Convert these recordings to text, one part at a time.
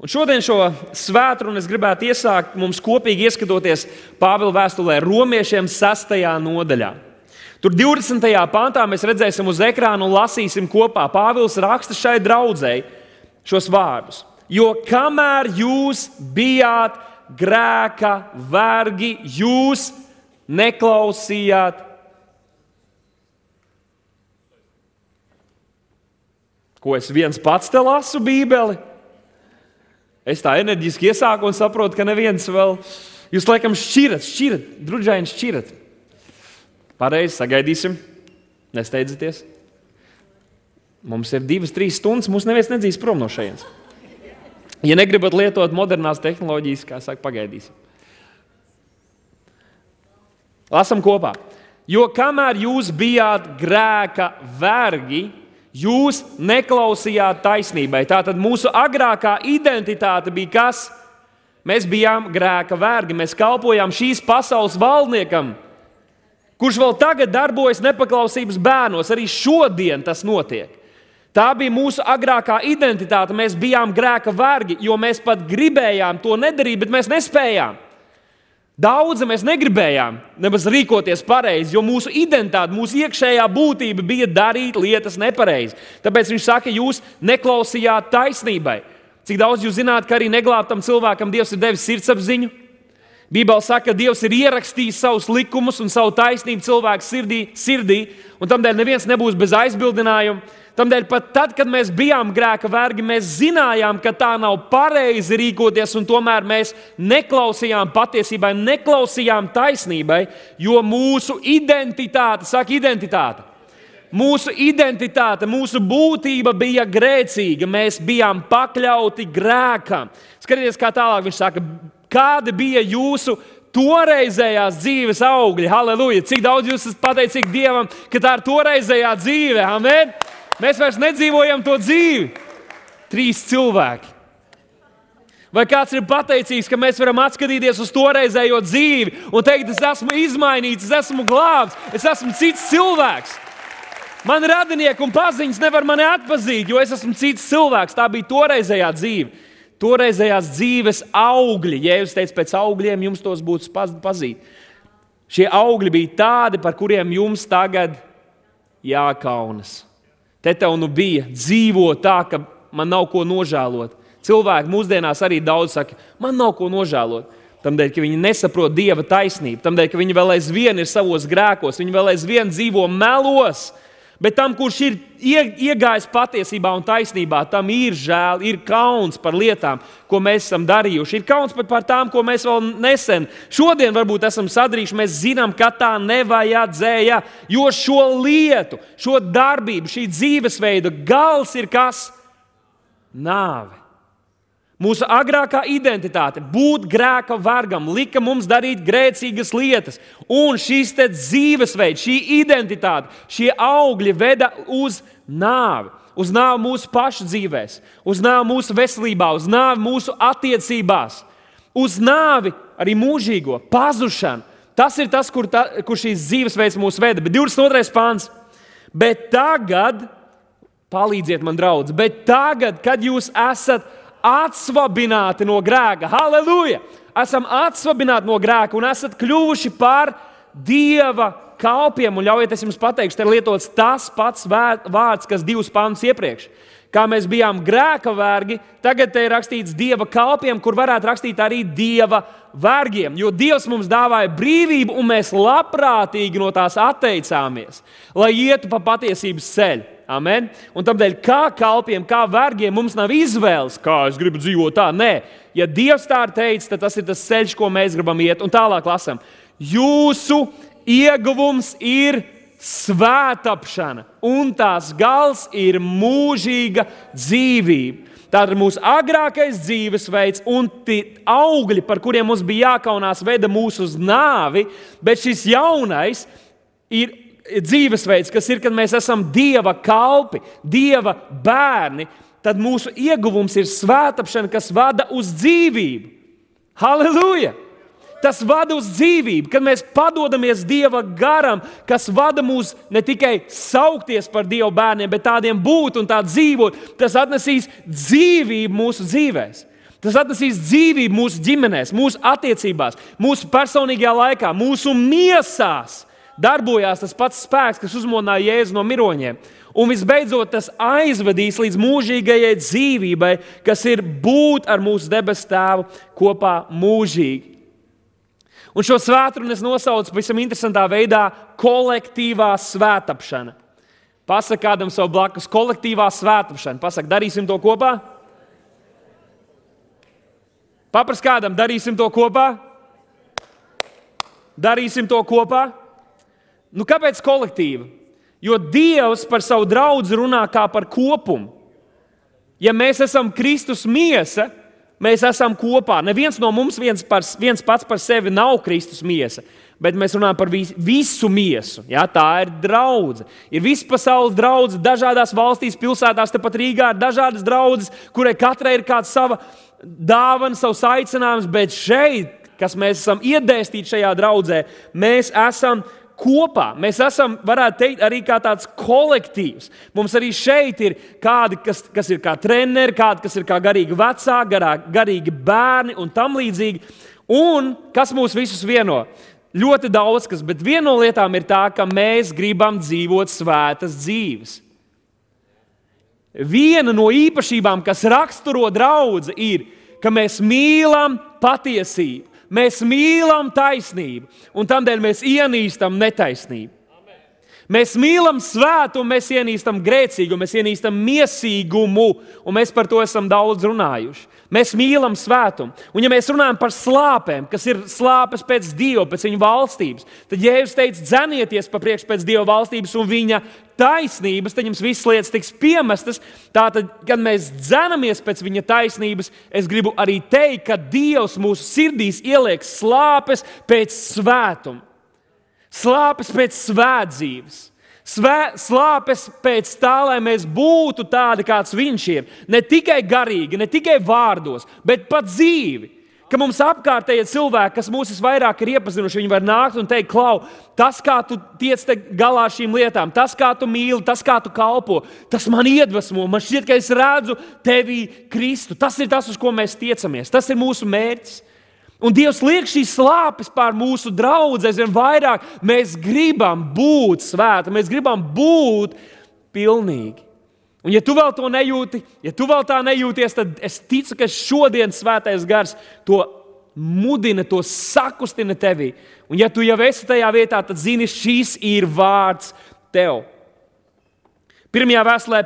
Un šodien šo svētkrunu es gribētu iesākt mums kopīgi ieskatoties Pāvila vēstulē Romiešiem 6. nodaļā. Tur 20. pantā mēs redzēsim uz ekrāna un lasīsim kopā. Pāvils raksta šai draudzei šos vārdus. Jo kamēr jūs bijāt grēka vergi, jūs neklausījāt. Ko es viens pats te lasu Bībeli? Es tā enerģiski iesāku un saprotu, ka neviens vēl... Jūs laikam šķirat, drudžaini šķirat. Pareizi, sagaidīsim. Nesteidzieties. Mums ir 2-3 stundas, mums neviens nedzīs prom no šejienes. Ja negribat lietot modernās tehnoloģijas, kā saka, pagaidīsim. Lasam kopā. Jo kamēr jūs bijāt grēka vergi, jūs neklausījāt taisnībai. Tātad mūsu agrākā identitāte bija kas? Mēs bijām grēka vergi, mēs kalpojām šīs pasaules valdniekam, kurš vēl tagad darbojas nepaklausības bērnos. Arī šodien tas notiek. Tā bija mūsu agrākā identitāte. Mēs bijām grēka vergi, jo mēs pat gribējām to nedarīt, bet mēs nespējām. Daudzi mēs negribējām nemaz rīkoties pareizi, jo mūsu identitāte, mūsu iekšējā būtība bija darīt lietas nepareizi. Tāpēc viņš saka, jūs neklausījāt taisnībai. Cik daudz jūs zināt, ka arī neglābtam cilvēkam Dievs ir devis sirdsapziņu? Bībele saka, ka Dievs ir ierakstījis savus likumus un savu taisnību cilvēku sirdī, un tamdēļ neviens nebūs bez aizbildinājuma. Tamdēļ pat tad, kad mēs bijām grēka vergi, mēs zinājām, ka tā nav pareizi rīkoties, un tomēr mēs neklausījām patiesībai, neklausījām taisnībai, jo mūsu identitāte, saka identitāte, mūsu būtība bija grēcīga, mēs bijām pakļauti grēkam. Skatieties, kā tālāk viņš saka, kādi bija jūsu toreizējās dzīves augļi. Halleluja! Cik daudz jūs esat pateicīgi Dievam, ka tā ir toreizējā dzīve. Amen! Mēs vairs nedzīvojam to dzīvi. 3 cilvēki. Vai kāds ir pateicīgs, ka mēs varam atskatīties uz toreizējo dzīvi un teikt, es esmu izmainīts, es esmu glābts, es esmu cits cilvēks. Man radinieki un paziņas nevar mani atpazīt, jo es esmu cits cilvēks. Tā bija toreizējā dzīve. Toreizējās dzīves augļi. Jēzus teica, pēc augļiem jums tos būtu pazīt. Šie augļi bija tādi, par kuriem jums tagad jākaunas. Te tev nu bija dzīvo tā, ka man nav ko nožēlot. Cilvēki mūsdienās arī daudz saka, man nav ko nožēlot. Tamdēļ, ka viņi nesaprot Dieva taisnību. Tamdēļ, ka viņi vēl aizvien ir savos grēkos. Viņi vēl aizvien dzīvo melos. Bet tam, kurš ir iegājis patiesībā un taisnībā, tam ir žēl, ir kauns par lietām, ko mēs esam darījuši. Ir kauns pat par tām, ko mēs vēl nesen, šodien varbūt esam sadarījuši. Mēs zinām, ka tā nevajadzēja, jo šo lietu, šo darbību, šī dzīvesveida gals ir kas? Nāve. Mūsu agrākā identitāte, būt grēka vergam, lika mums darīt grēcīgas lietas. Un šis te dzīvesveids, šī identitāte, šie augļi veda uz nāvi. Uz nāvi mūsu pašu dzīvēs, uz nāvi mūsu veselībā, uz nāvi mūsu attiecībās, uz nāvi arī mūžīgo pazušanu. Tas ir tas, kur šīs dzīvesveids mūs veda. Bet 22. pāns. Bet tagad, palīdziet man, draudz, bet tagad, kad jūs esat atsvabināti no grēka. Halleluja! Esam atsvabināti no grēka un esat kļuvuši par Dieva kalpiem. Un ļaujiet, es jums pateikšu, te ir lietots tas pats vārds, kas 2 pantus iepriekš. Kā mēs bijām grēka vergi, tagad te ir rakstīts Dieva kalpiem, kur varētu rakstīt arī Dieva vergiem. Jo Dievs mums dāvāja brīvību un mēs labprātīgi no tās atteicāmies, lai ietu pa patiesības ceļu. Amen. Un tādēļ, kā kalpiem, kā vergiem, mums nav izvēles, kā es gribu dzīvot tā. Nē, ja Dievs tā ir teicis, tad tas ir tas ceļš, ko mēs gribam iet. Un tālāk lasam. Jūsu ieguvums ir svētapšana, un tās gals ir mūžīga dzīvība. Tātad mūsu agrākais dzīvesveids un augļi, par kuriem mums bija jākaunās, veda mūs uz nāvi, bet šis jaunais ir dzīvesveids, kas ir, kad mēs esam Dieva kalpi, Dieva bērni, tad mūsu ieguvums ir svētapšana, kas vada uz dzīvību. Halleluja! Tas vada uz dzīvību, kad mēs padodamies Dieva garam, kas vada mūs ne tikai saukties par Dieva bērniem, bet tādiem būt un tā dzīvot. Tas atnesīs dzīvību mūsu dzīvēs. Tas atnesīs dzīvību mūsu ģimenēs, mūsu attiecībās, mūsu personīgajā laikā, mūsu miesās. Darbojās tas pats spēks, kas uzmodināja Jēzu no miroņiem. Un visbeidzot, tas aizvedīs līdz mūžīgajai dzīvībai, kas ir būt ar mūsu debesu Tēvu kopā mūžīgi. Un šo svētdienu es nosaucu pavisam interesantā veidā kolektīvā svētapšana. Pasaka kādam savu blakus, kolektīvā svētapšana. Pasaka, darīsim to kopā? Papras kādam, darīsim to kopā? Darīsim to kopā? Nu, kāpēc kolektīva? Jo Dievs par savu draudzi runā kā par kopumu. Ja mēs esam Kristus miesa, mēs esam kopā. Neviens no mums viens pats par sevi nav Kristus miesa, bet mēs runājam par visu miesu. Ja? Tā ir draudze. Ir visa pasaules draudze, dažādās valstīs, pilsētās, tepat Rīgā ir dažādas draudzes, kurai katrai ir kāds sava dāvana, savs aicinājums, bet šeit, kas mēs esam iedēstīti šajā draudzē, mēs esam kopā. Mēs esam, varētu teikt, arī kā tāds kolektīvs. Mums arī šeit ir kādi, kas ir kā treneri, kādi, kas ir kā garīgi vecāki, garīgi bērni un tam līdzīgi. Un kas mūs visus vieno? Ļoti daudz kas, bet viena no lietām ir tā, ka mēs gribam dzīvot svētas dzīves. Viena no īpašībām, kas raksturo draudzi, ir, ka mēs mīlam patiesību. Mēs mīlam taisnību, un tādēļ mēs ienīstam netaisnību. Mēs mīlam svētumu, mēs ienīstam grēcīgumu, mēs ienīstam miesīgumu, un mēs par to esam daudz runājuši. Mēs mīlam svētumu. Un ja mēs runājam par slāpēm, kas ir slāpes pēc Dieva, pēc viņa valstības, tad Jēzus teica, dzenieties pa priekšu pēc Dieva valstības un viņa taisnības, tad jums visas lietas tiks piemestas. Tātad, kad mēs dzenamies pēc viņa taisnības, es gribu arī teikt, ka Dievs mūsu sirdīs ieliek slāpes pēc svētuma. Slāpes pēc svētdzīves, slāpes pēc tā, lai mēs būtu tādi, kāds viņš ir. Ne tikai garīgi, ne tikai vārdos, bet pat dzīvi. Ka mums apkārtējie cilvēki, kas mūs visvairāk ir iepazinuši, viņi var nākt un teikt, Klau, tas, kā tu tiec galā ar šīm lietām, tas, kā tu mīli, tas, kā tu kalpo, tas man iedvesmo. Man šķiet, ka es redzu tevī Kristu. Tas ir tas, uz ko mēs tiecamies. Tas ir mūsu mērķis. Un Dievs liek šīs slāpes pār mūsu draudzi aizvien vairāk. Mēs gribam būt svēti, mēs gribam būt pilnīgi. Un ja tu vēl to nejūti, ja tu vēl tā nejūties, tad es ticu, ka šodien Svētais Gars to mudina, to sakustina tevī. Un ja tu jau esi tajā vietā, tad zini, šis ir vārds tev. Pirmajā vēstulē,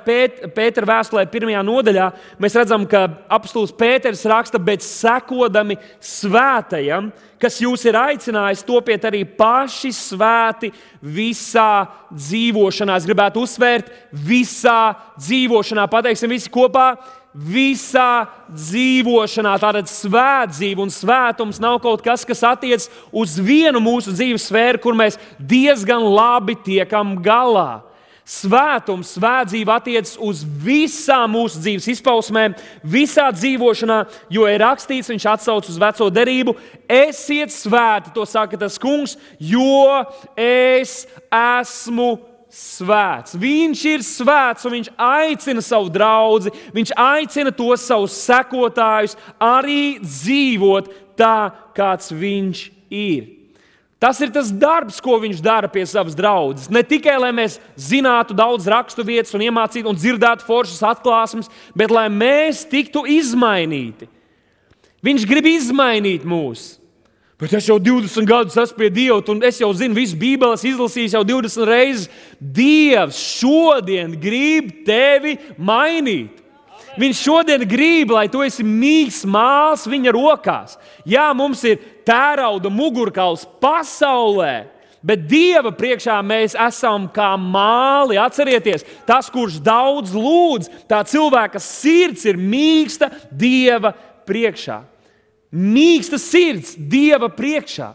Pētera vēstulē, 1. nodaļā, mēs redzam, ka apostols Pēters raksta, bet sekodami svētajam, kas jūs ir aicinājis, topiet arī paši svēti visā dzīvošanā. Es gribētu uzsvērt, visā dzīvošanā. Pateiksim visi kopā, visā dzīvošanā. Tātad svētdzīve un svētums nav kaut kas, kas attiec uz vienu mūsu dzīves sfēru, kur mēs diezgan labi tiekam galā. Svētums, svētdzīve attiecas uz visām mūsu dzīves izpausmēm, visā dzīvošanā, jo ir rakstīts, viņš atsauc uz veco derību, esiet svēti, to saka tas kungs, jo es esmu svēts. Viņš ir svēts un viņš aicina savu draudzi, viņš aicina tos savus sekotājus arī dzīvot tā, kāds viņš ir. Tas ir tas darbs, ko viņš dara pie savas draudzes. Ne tikai, lai mēs zinātu daudz raksturvietas un iemācītu un dzirdētu foršas atklāsmes, bet lai mēs tiktu izmainīti. Viņš grib izmainīt mūs. Bet es jau 20 gadus esmu pie Dieva, un es jau zinu visu Bībeles, izlasījis jau 20 reizes. Dievs šodien grib tevi mainīt. Viņš šodien grib, lai tu esi mīgs māls viņa rokās. Jā, mums ir tērauda mugurkauls pasaulē, bet Dieva priekšā mēs esam kā māli. Atcerieties, tas, kurš daudz lūdz, tā cilvēka sirds ir mīksta Dieva priekšā. Mīksta sirds Dieva priekšā.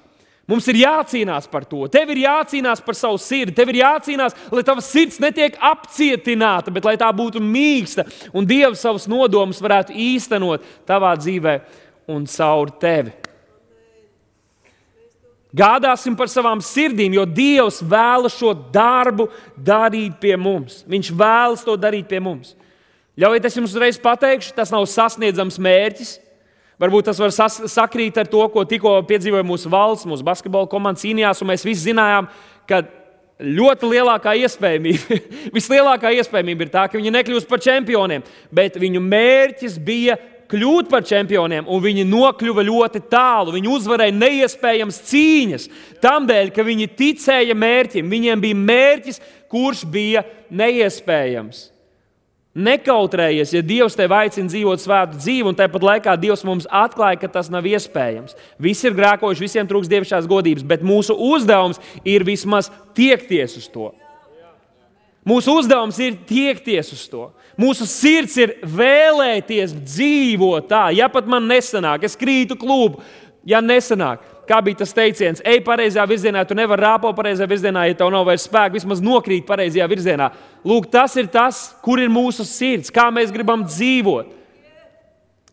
Mums ir jācīnās par to. Tev ir jācīnās par savu sirdi. Tev ir jācīnās, lai tava sirds netiek apcietināta, bet lai tā būtu mīksta un Dievs savus nodomus varētu īstenot tavā dzīvē un caur tevi. Gādāsim par savām sirdīm, jo Dievs vēlas šo darbu darīt pie mums. Viņš vēlas to darīt pie mums. Ļaujiet, es jums uzreiz pateikšu, tas nav sasniedzams mērķis. Varbūt tas var sakrīt ar to, ko tikko piedzīvoja mūsu valsts, mūsu basketbola komanda cīnījās, un mēs visi zinājām, ka ļoti lielākā iespējamība, vislielākā iespējamība ir tā, ka viņi nekļūs par čempioniem, bet viņu mērķis bija kļūt par čempioniem, un viņi nokļuva ļoti tālu. Viņi uzvarēja neiespējams cīņas, tamdēļ, ka viņi ticēja mērķim. Viņiem bija mērķis, kurš bija neiespējams. Nekautrējies, ja Dievs tevi aicina dzīvot svētu dzīvi, un tāpat laikā Dievs mums atklāja, ka tas nav iespējams. Visi ir grēkojuši, visiem trūks dievišķās godības, bet mūsu uzdevums ir vismaz tiekties uz to. Mūsu uzdevums ir tiekties uz to. Mūsu sirds ir vēlēties dzīvot tā. Ja pat man nesanāk, es krītu klubu, ja nesanāk. Kā bija tas teiciens, ej pareizajā virzienā, tu nevari rāpo pareizajā virzienā, ja tev nav vairs spēka, vismaz nokrīt pareizajā virzienā. Lūk, tas ir tas, kur ir mūsu sirds, kā mēs gribam dzīvot.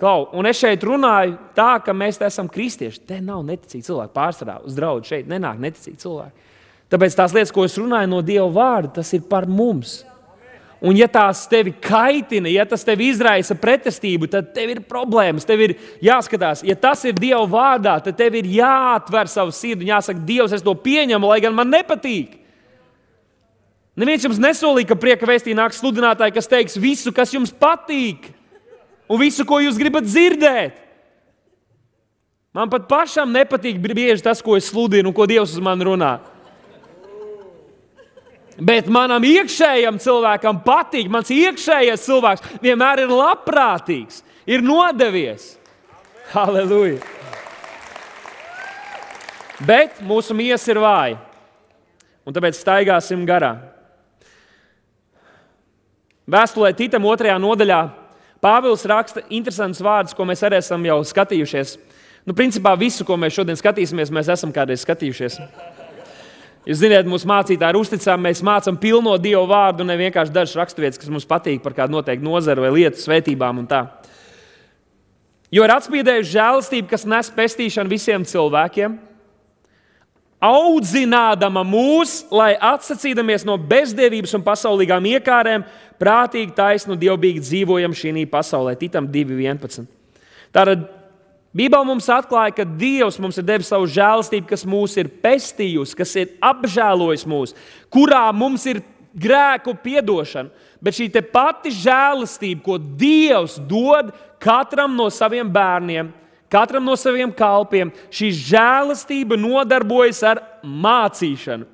Klau, un es šeit runāju tā, ka mēs esam kristieši. Te nav neticīgi cilvēki pārsvarā uz draudu, šeit nenāk neticīgi cilvēki. Tāpēc tās lietas, ko es runāju no Dieva vārda, tas ir par mums. Un ja tās tevi kaitina, ja tas tevi izraisa pretestību, tad tev ir problēmas, tev ir jāskatās. Ja tas ir Dieva vārdā, tad tev ir jāatver savu sirdi un jāsaka, Dievs, es to pieņemu, lai gan man nepatīk. Neviens jums nesolīja, ka prieka vēstī nāks sludinātāji, kas teiks visu, kas jums patīk, un visu, ko jūs gribat dzirdēt. Man pat pašam nepatīk bieži tas, ko es sludinu un ko Dievs uz mani runā. Bet manam iekšējam cilvēkam patīk, mans iekšējais cilvēks vienmēr ir labprātīgs, ir nodevies. Halleluja! Bet mūsu miesa ir vāja, un tāpēc staigāsim garā. Vēstulē Titam 2. nodaļā Pāvils raksta interesantus vārdus, ko mēs arī esam jau skatījušies. Principā visu, ko mēs šodien skatīsimies, mēs esam kādreiz skatījušies. Jūs zināt, mūsu mācītāji ir uzticami, mēs mācām pilno Dieva vārdu, ne vienkārši dažas raksturvietas, kas mums patīk par kādu noteiktu nozaru vai lietu svētībām un tā. Jo ir atspīdējusi žēlastība, kas nes pestīšanu visiem cilvēkiem, audzinādama mūs, lai atsacīdamies no bezdievības un pasaulīgām iekārēm, prātīgi, taisnu, dievbīgi dzīvojam šī pasaulē. Titam 2.11. Tātad Bībele mums atklāja, ka Dievs mums ir devis savu žēlastību, kas mūs ir pestījusi, kas ir apžēlojis mūs, kurā mums ir grēku piedošana. Bet šī te pati žēlastība, ko Dievs dod katram no saviem bērniem, katram no saviem kalpiem, šī žēlastība nodarbojas ar mācīšanu.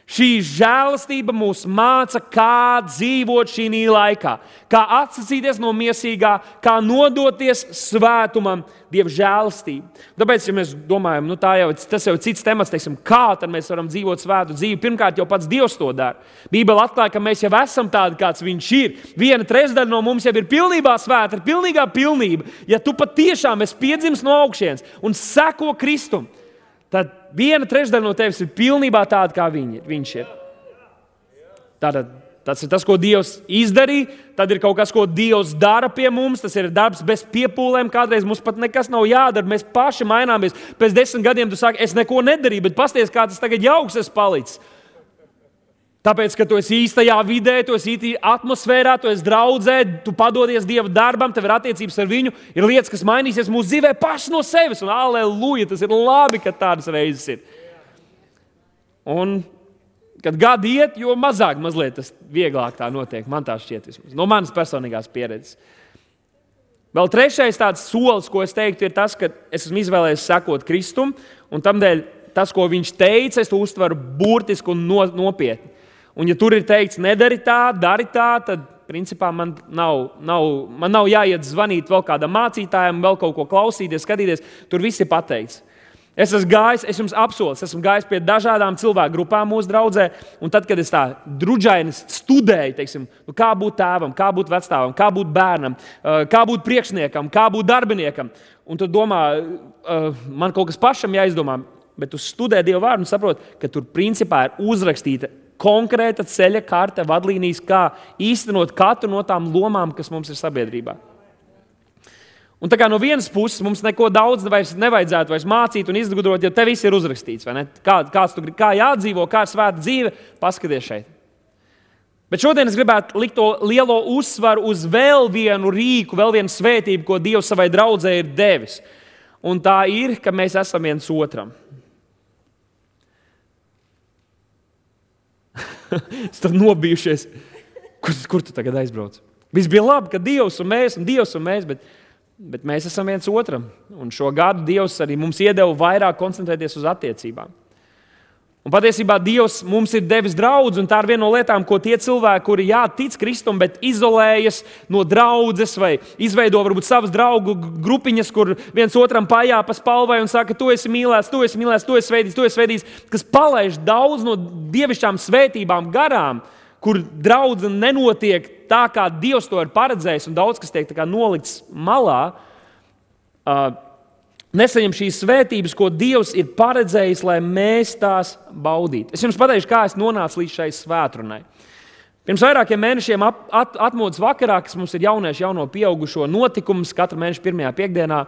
Šī žēlastība mūs māca, kā dzīvot šī laikā, kā atsacīties no miesīgā, kā nodoties svētumam, Dieva žēlastību. Tāpēc, ja mēs domājam, tas jau ir cits temats, teiksim, kā tad mēs varam dzīvot svētu dzīvi, pirmkārt jau pats Dievs to dara. Bībele atklāja, ka mēs jau esam tādi, kāds viņš ir. 1/3 no mums jau ir pilnībā svēta, ir pilnīgā pilnība. Ja tu patiešām esi piedzimis no augšienes un seko Kristum, tad 1/3 no tevis ir pilnībā tāda, kā viņš ir. Tātad tas ir tas, ko Dievs izdarīja. Tad ir kaut kas, ko Dievs dara pie mums. Tas ir darbs bez piepūlēm. Kādreiz mums pat nekas nav jādara. Mēs paši maināmies. Pēc 10 gadiem tu saki, es neko nedarīju, bet pasties, kā tas tagad jauks es palicis. Tāpēc, ka tu esi īstajā vidē, tu esi īstajā atmosfērā, tu esi draudzē, tu padodies Dieva darbam, tev ir attiecības ar viņu, ir lietas, kas mainīsies mūsu dzīvē paši no sevis. Un aleluja, tas ir labi, ka tādas reizes ir. Un kad gadi iet, jo mazliet tas vieglāk tā notiek. Man tā šķiet vismaz. No manas personīgās pieredzes. Vēl trešais tāds solis, ko es teiktu, ir tas, ka es esmu izvēlējies sekot Kristum, un tamdēļ tas, ko viņš teica, es to uztveru burtiski un nopietni. Un ja tur ir teikts, nedari tā, dari tā, tad principā man nav jāiet zvanīt vēl kādam mācītājam, vēl kaut ko klausīties, skatīties. Tur viss ir pateikts. Es esmu gājis, es jums apsolu, esmu gājis pie dažādām cilvēku grupām mūsu draudzē, un tad, kad es tā drudžaini studēju, teiksim, kā būt tēvam, kā būt vecstāvam, kā būt bērnam, kā būt priekšniekam, kā būt darbiniekam, un tu domā, man kaut kas pašam jāizdomā, bet tu studē Dieva vārdu un saproti, ka tur principā ir uzrakstīta konkrēta ceļa karte, vadlīnijas, kā īstenot katru no tām lomām, kas mums ir sabiedrībā. Un tā kā no vienas puses mums neko daudz nevajadzētu vairs mācīt un izgudrot, jo te viss ir uzrakstīts. Kā jādzīvo, kā ir svēta dzīve, paskaties šeit. Bet šodien es gribētu likt to lielo uzsvaru uz vēl vienu rīku, vēl vienu svētību, ko Dievs savai draudzē ir devis. Un tā ir, ka mēs esam viens otram. Es tad nobijušies. Kur tu tagad aizbrauc? Viss bija labi, ka Dievs un mēs, bet mēs esam viens otram. Un šo gadu Dievs arī mums iedeva vairāk koncentrēties uz attiecībām. Un patiesībā Dievs mums ir devis draudzi, un tā ir viena no lietām, ko tie cilvēki, kuri tic Kristum, bet izolējas no draudzes vai izveido varbūt savas draugu grupiņas, kur viens otram pajāpa spalvai un saka, tu esi mīlēts, tu esi svētīts, kas palaiž daudz no dievišķām svētībām garām, kur draudze nenotiek tā, kā Dievs to ir paredzējis, un daudz kas tiek tā kā nolikts malā, nesaņem šīs svētības, ko Dievs ir paredzējis, lai mēs tās baudītu. Es jums pateikšu, kā es nonācu līdz šai svētrunai. Pirms vairākiem mēnešiem atmodas vakarā, kas mums ir jauniešu jauno pieaugušo notikums, katru mēnešu pirmajā piekdienā,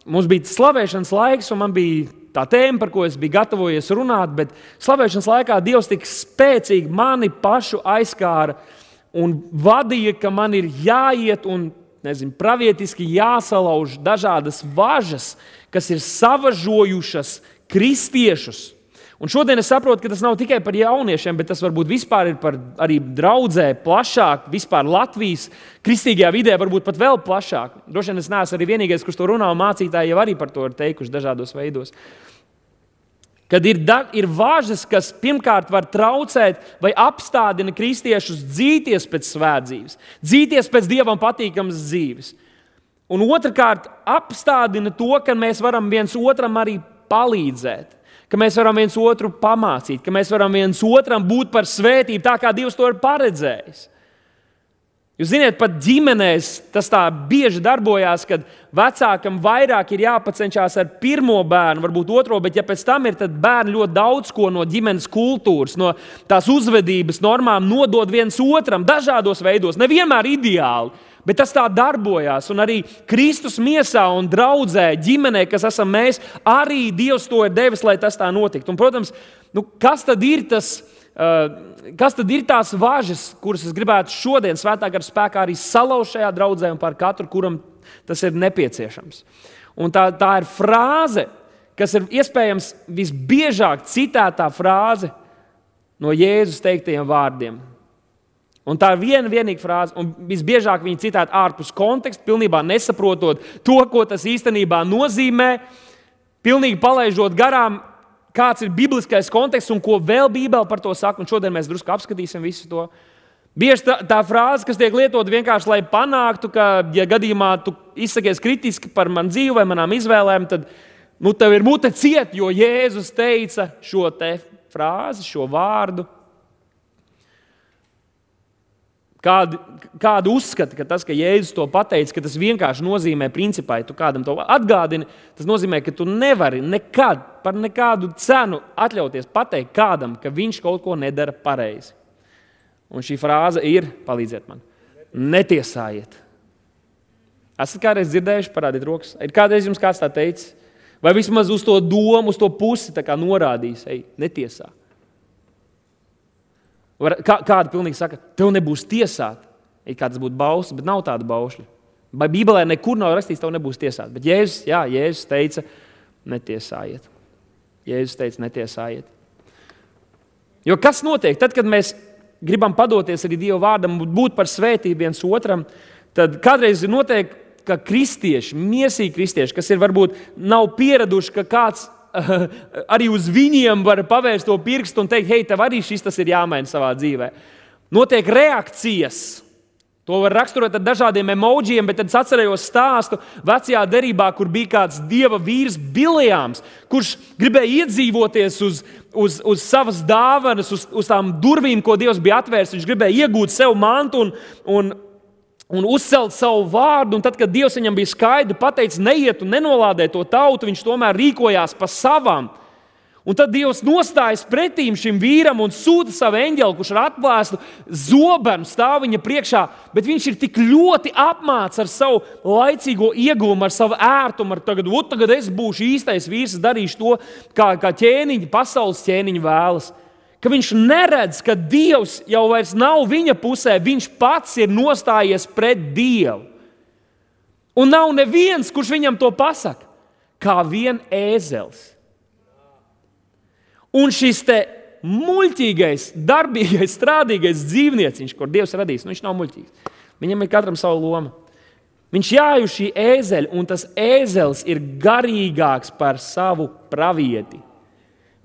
mums bija slavēšanas laiks, un man bija tā tēma, par ko es biju gatavojies runāt, bet slavēšanas laikā Dievs tik spēcīgi mani pašu aizskāra un vadīja, ka man ir jāiet un pravietiski jāsalauž dažādas važas, kas ir savažojušas kristiešus. Un šodien es saprotu, ka tas nav tikai par jauniešiem, bet tas varbūt vispār ir par arī draudzē plašāk, vispār Latvijas kristīgajā vidē, varbūt pat vēl plašāk. Droši vien es neesmu arī vienīgais, kurš to runā, un mācītāji jau arī par to ir teikuši dažādos veidos. Kad ir važas, kas pirmkārt var traucēt vai apstādina kristiešus dzīties pēc svētdzīves, dzīties pēc Dievam patīkamas dzīves. Un otrkārt, apstādina to, ka mēs varam viens otram arī palīdzēt, ka mēs varam viens otru pamācīt, ka mēs varam viens otram būt par svētību, tā kā Dievs to ir paredzējis. Jūs ziniet, pat ģimenēs tas tā bieži darbojās, kad vecākam vairāk ir jāpacenšās ar pirmo bērnu, varbūt otro, bet ja pēc tam ir, tad bērni ļoti daudz ko no ģimenes kultūras, no tās uzvedības normām nodod viens otram dažādos veidos, nevienmēr ideāli, bet tas tā darbojās. Un arī Kristus miesā un draudzē, ģimenē, kas esam mēs, arī Dievs to ir devis, lai tas tā notiktu. Un, protams, kas tad ir tās važas, kuras es gribētu šodien svētā gara spēkā arī salauzt šajā draudzē un par katru, kuram tas ir nepieciešams? Un tā ir frāze, kas ir iespējams visbiežāk citētā frāze no Jēzus teiktajiem vārdiem. Un tā ir vienīga frāze, un visbiežāk viņa citēta ārpus konteksta, pilnībā nesaprotot to, ko tas īstenībā nozīmē, pilnīgi palaižot garām, kāds ir bibliskais konteksts un ko vēl Bībele par to saka, un šodien mēs drusku apskatīsim visu to. Bieži tā frāze, kas tiek lietot vienkārši, lai panāktu, ka, ja gadījumā tu izsakies kritiski par manu dzīvi vai manām izvēlēm, tad tev ir mute ciet, jo Jēzus teica šo te frāzi, šo vārdu. Kādu uzskata, ka tas, ka Jēzus to pateica, ka tas vienkārši nozīmē principā, ja tu kādam to atgādini, tas nozīmē, ka tu nevari nekad, par nekādu cenu atļauties pateikt kādam, ka viņš kaut ko nedara pareizi. Un šī frāze ir, palīdziet man, netiesājiet. Esat kādreiz dzirdējuši, parādiet rokas? Ir kādreiz jums kāds tā teicis? Vai vismaz uz to domu, uz to pusi tā kā norādījis, netiesā? Kāda pilnīgi saka, tev nebūs tiesāt. Kā tas būtu bauslis, bet nav tāda bausļa. Vai Bībelē nekur nav rakstīts, tev nebūs tiesāt. Bet Jēzus teica, netiesājiet. Jēzus teica, netiesājiet. Jo kas notiek? Tad, kad mēs gribam padoties arī Dieva vārdam, būt par svētību viens otram, tad kādreiz notiek, ka kristieši, miesīgi kristieši, kas ir varbūt nav pieraduši, ka kāds arī uz viņiem var pavērst to pirkstu un teikt, hei, tev arī šis tas ir jāmaina savā dzīvē. Notiek reakcijas. To var raksturot ar dažādiem emojiem, bet tad es atcerējos stāstu vecajā derībā, kur bija kāds dieva vīrs Bileāms, kurš gribēja iedzīvoties uz savas dāvanas, uz tām durvīm, ko Dievs bija atvērs. Viņš gribēja iegūt sev mantu un uzcelt savu vārdu, un tad, kad Dievs viņam bija skaidri pateicis neiet un nenolādēt to tautu, viņš tomēr rīkojās pa savām. Un tad Dievs nostājas pretīm šim vīram un sūta savu eņģeli, kurš ar atplēstu zobenu stāv viņa priekšā, bet viņš ir tik ļoti apmāts ar savu laicīgo ieguvumu, ar savu ērtumu, tagad es būšu īstais vīrs, darīšu to, kā ķēniņi, pasaules ķēniņi vēlas. ka viņš neredz, ka Dievs jau vairs nav viņa pusē, viņš pats ir nostājies pret Dievu. Un nav neviens, kurš viņam to pasaka, kā vien ēzelis. Un šis te muļķīgais, darbīgais, strādīgais dzīvnieciņš, kur Dievs radīs, viņš nav muļķīgs. Viņam ir katram savu loma. Viņš jāju šī ēzeļa, un tas ēzelis ir garīgāks par savu pravieti.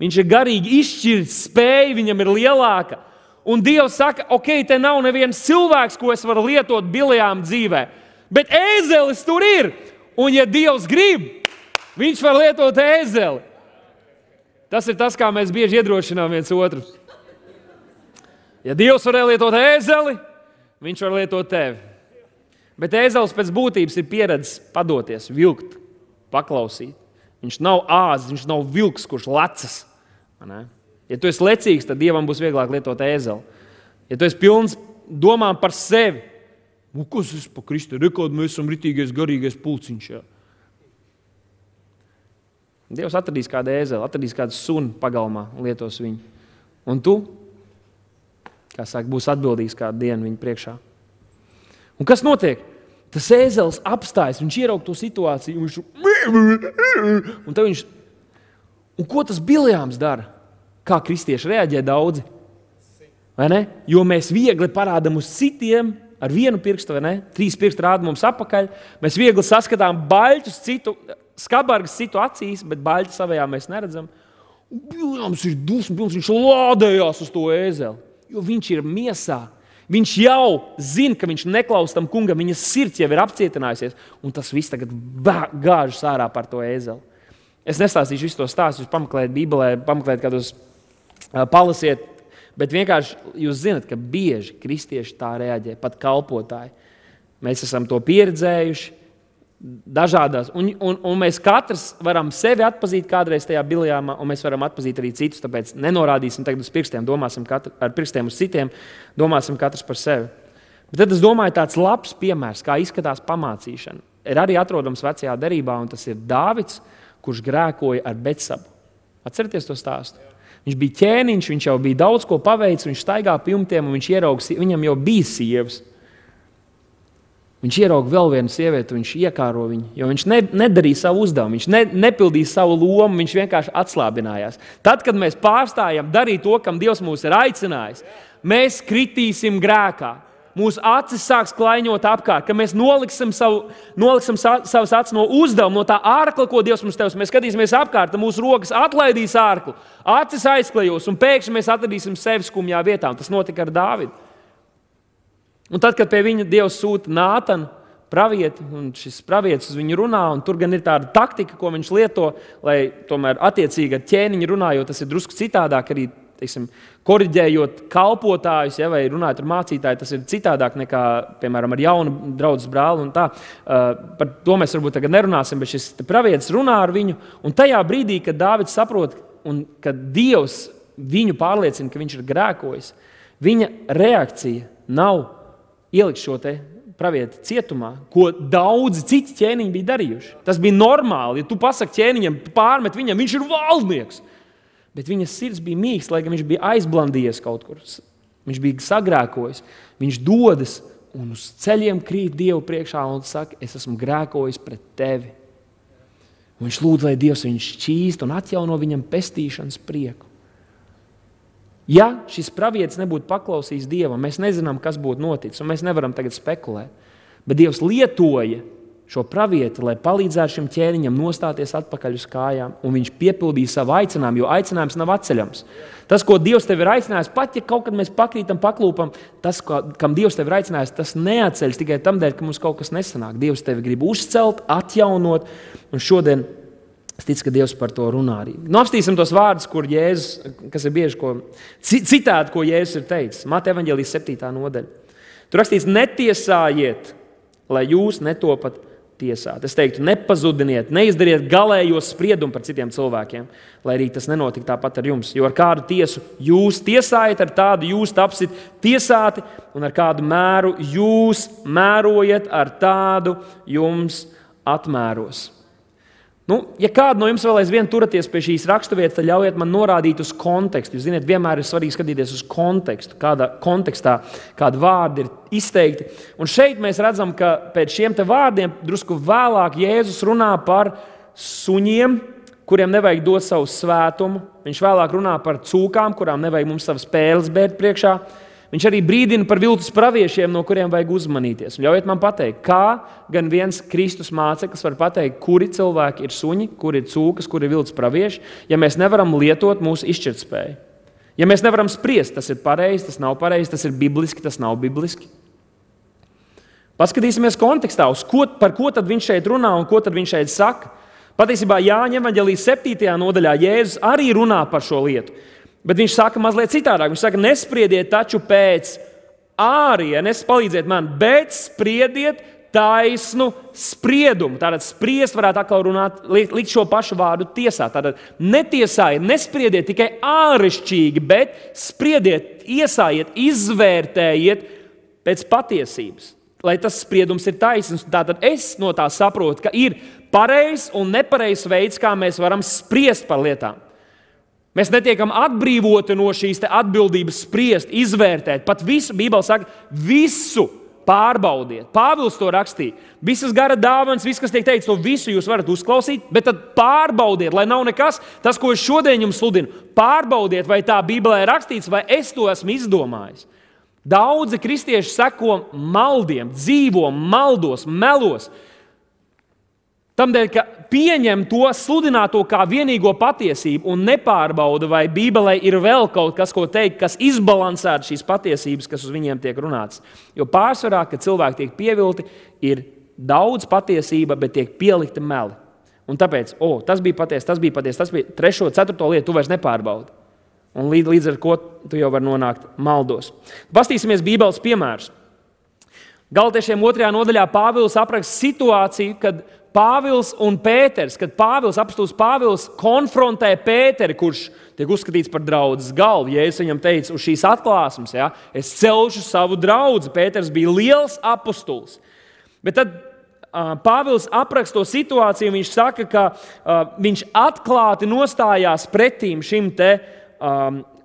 Viņš ir garīgi izšķirts, spēja viņam ir lielāka. Un Dievs saka, te nav neviens cilvēks, ko es varu lietot Biljām dzīvē. Bet ēzelis tur ir. Un ja Dievs grib, viņš var lietot ēzeli. Tas ir tas, kā mēs bieži iedrošinām viens otru. Ja Dievs var lietot ēzeli, viņš var lietot tevi. Bet ēzelis pēc būtības ir pieredzes padoties, vilkt, paklausīt. Viņš nav āzis, viņš nav vilks, kurš lecas. Ja tu esi lecīgs, tad Dievam būs vieglāk lietot ēzeli. Ja tu esi pilns domām par sevi, kas es pa Kristu, rekord mēs esam ritīgais, garīgais pulciņš. Jā. Dievs atradīs kādu ēzeli, atradīs kādu suni pagalmā un lietos viņu. Un tu, kā saka, būs atbildīgs kādu dienu viņu priekšā. Un kas notiek? Tas ēzelis apstājas, viņš ieraug to situāciju, un tad viņš... Un ko tas Biljāms dara? Kā kristieši reaģē daudzi? Vai ne? Jo mēs viegli parādam uz citiem ar vienu pirkstu, vai ne? 3 pirksti rāda mums apakaļ. Mēs viegli saskatām baļķus citu, skabargas citu acīs, bet baļķi savajā mēs neredzam. Un Biljāms ir dusmas, viņš lādējās uz to ēzeli, jo viņš ir miesā. Viņš jau zina, ka viņš neklaus tam kungam, viņa sirds jau ir apcietinājusies, un tas viss tagad gāžas ārā par to ēzeli. Es nestāstīšu visu to stāstu, jūs pameklējat Bībelē, pameklējat kādos palasiet, bet vienkārši jūs zinat, ka bieži kristieši tā reaģē, pat kalpotāji. Mēs esam to pieredzējuši dažādās, un mēs katrs varam sevi atpazīt kādreiz tajā Biljāmā, un mēs varam atpazīt arī citus, tāpēc nenorādīsim tagad uz pirkstiem, domāsim ar pirkstiem uz citiem, domāsim katrs par sevi. Bet tad es domāju, tāds labs piemērs, kā izskatās pamācīšana, ir arī atrodams vecajā derībā, un tas ir Dāvids, kurš grēkoja ar Betsabu. Atcerieties to stāstu? Viņš bija ķēniņš, viņš jau bija daudz ko paveicis, viņš staigā pie jumtiem, un viņš ierauga, viņam jau bija sievas. Viņš ierauga vēl vienu sievieti, viņš iekāro viņu, jo viņš nedarīja savu uzdevumu, viņš nepildīja savu lomu, viņš vienkārši atslābinājās. Tad, kad mēs pārstājam darīt to, kam Dievs mūs ir aicinājis, mēs kritīsim grēkā. Mūsu acis sāks klaiņot apkārt, ka mēs noliksim savas acis no uzdevuma, no tā ārkla, ko Dievs mums tevis. Mēs skatīsimies apkārt, mūsu rokas atlaidīs ārklu, acis aizklejos, un pēkšņi mēs atradīsim sevi skumjā vietā. Un tas notika ar Dāvidu. Un tad, kad pie viņa Dievs sūta Nātanu, pravieti, un šis pravietis uz viņu runā, un tur gan ir tāda taktika, ko viņš lieto, lai tomēr attiecīgi ar ķēniņu runā, jo tas ir drusku citādāk arī, teiksim, koriģējot kalpotājus, ja, vai runājot ar mācītāju, tas ir citādāk nekā, piemēram, ar jaunu draudzes brāli un tā. Par to mēs varbūt tagad nerunāsim, bet šis pravietis runā ar viņu, un tajā brīdī, kad Dāvids saprot, un kad Dievs viņu pārliecina, ka viņš ir grēkojis, viņa reakcija nav ielikt šo te pravieti cietumā, ko daudzi citi ķēniņi bija darījuši. Tas bija normāli, ja tu pasaki ķēniņam, pārmet viņam, viņš ir valdnieks. Bet viņa sirds bija mīgs, lai gan viņš bija aizblandījies kaut kur. Viņš bija sagrēkojis. Viņš dodas un uz ceļiem krīt Dievu priekšā un saka, es esmu grēkojis pret tevi. Un viņš lūdz, lai Dievs viņu šķīst un atjauno viņam pestīšanas prieku. Ja šis pravietis nebūtu paklausījis Dievam, mēs nezinām, kas būtu noticis, un mēs nevaram tagad spekulēt. Bet Dievs lietoja šo pravieti, lai palīdzētu šim ķēniņam nostāties atpakaļ uz kājām, un viņš piepildīja savu aicinājumu, jo aicinājums nav atceļams. Tas, ko Dievs tev ir aicinājis, pat ja kaut kad mēs pakrītam, paklūpam, tas, kam Dievs tev ir aicinājis, tas neatceļas tikai tam dēļ, ka mums kaut kas nesanāk. Dievs tevi grib uzcelt, atjaunot, un šodien es ticu, ka Dievs par to runā arī. Apstīsim tos vārdus, kur Jēzus, kas ir bieži citādi, ko Jēzus ir teicis. Mateja evaņģēlijas 7. nodaļa. Tur rakstīts, netiesājiet, lai jūs netopat tiesāt. Es teiktu, nepazudiniet, neizdariet galējos spriedumu par citiem cilvēkiem, lai arī tas nenotika tāpat ar jums. Jo ar kādu tiesu jūs tiesājat, ar tādu jūs tapsit tiesāti, un ar kādu mēru jūs mērojat, ar tādu jums atmēros. Ja kādu no jums vēl aizvien turaties pie šīs raksturvietas, tad ļaujiet man norādīt uz kontekstu. Jūs zināt, vienmēr ir svarīgi skatīties uz kontekstu, kādā kontekstā kādi vārdi ir izteikti. Un šeit mēs redzam, ka pēc šiem te vārdiem drusku vēlāk Jēzus runā par suņiem, kuriem nevajag dot savu svētumu. Viņš vēlāk runā par cūkām, kurām nevajag mums savas pēles bērt priekšā. Viņš arī brīdina par viltus praviešiem, no kuriem vajag uzmanīties. Un ļaujiet man pateikt, kā gan viens Kristus māceklis var pateikt, kuri cilvēki ir suņi, kuri ir cūkas, kuri ir viltus pravieši, ja mēs nevaram lietot mūsu izšķirtspēju. Ja mēs nevaram spriest, tas ir pareizi, tas nav pareizi, tas ir bibliski, tas nav bibliski. Paskatīsimies kontekstā, par ko tad viņš šeit runā un ko tad viņš šeit saka. Patiesībā Jāņa evaņģēlijas 7. nodaļā Jēzus arī runā par šo lietu. Bet viņš saka mazliet citādāk. Viņš saka, nespriediet taču pēc ārienes, palīdziet man, bet spriediet taisnu spriedumu. Tātad spriest varētu atkal runāt, likt šo pašu vārdu tiesā. Tātad netiesājiet, nespriediet tikai āršķirīgi, bet spriediet, iesājiet, izvērtējiet pēc patiesības. Lai tas spriedums ir taisns. Tātad es no tā saprotu, ka ir pareizs un nepareizs veids, kā mēs varam spriest par lietām. Mēs netiekam atbrīvoti no šīs atbildības spriest, izvērtēt. Pat visu, Bībele saka, visu pārbaudiet. Pāvils to rakstīja. Visas gara dāvanas, viss, kas tiek teikts, to visu jūs varat uzklausīt, bet tad pārbaudiet, lai nav nekas. Tas, ko es šodien jums sludinu, pārbaudiet, vai tā Bībelē ir rakstīts, vai es to esmu izdomājis. Daudzi kristieši seko maldiem, dzīvo maldos, melos. Tamdēļ, ka pieņem to sludināto kā vienīgo patiesību un nepārbauda, vai Bībelē ir vēl kaut kas, ko teikt, kas izbalansētu šīs patiesības, kas uz viņiem tiek runāts. Jo pārsvarā, kad cilvēki tiek pievilti, ir daudz patiesība, bet tiek pielikta meli. Un tāpēc, tas bija patiesi, tas bija 3., 4. lietu, tu vairs nepārbaudi. Un līdz ar ko tu jau vari nonākt maldos. Pastīsimies Bībeles piemērus. Galatiešiem 2. nodaļā Pāvils apraksta situāciju, kad Pāvils un Pēters, kad apostols Pāvils konfrontē Pēteri, kurš tiek uzskatīts par draudzes galvu. Jēzus viņam teica uz šīs atklāsmes, es celšu savu draudzi. Pēters bija liels apostols. Bet tad Pāvils apraksta to situāciju, viņš saka, ka viņš atklāti nostājās pretīm šim te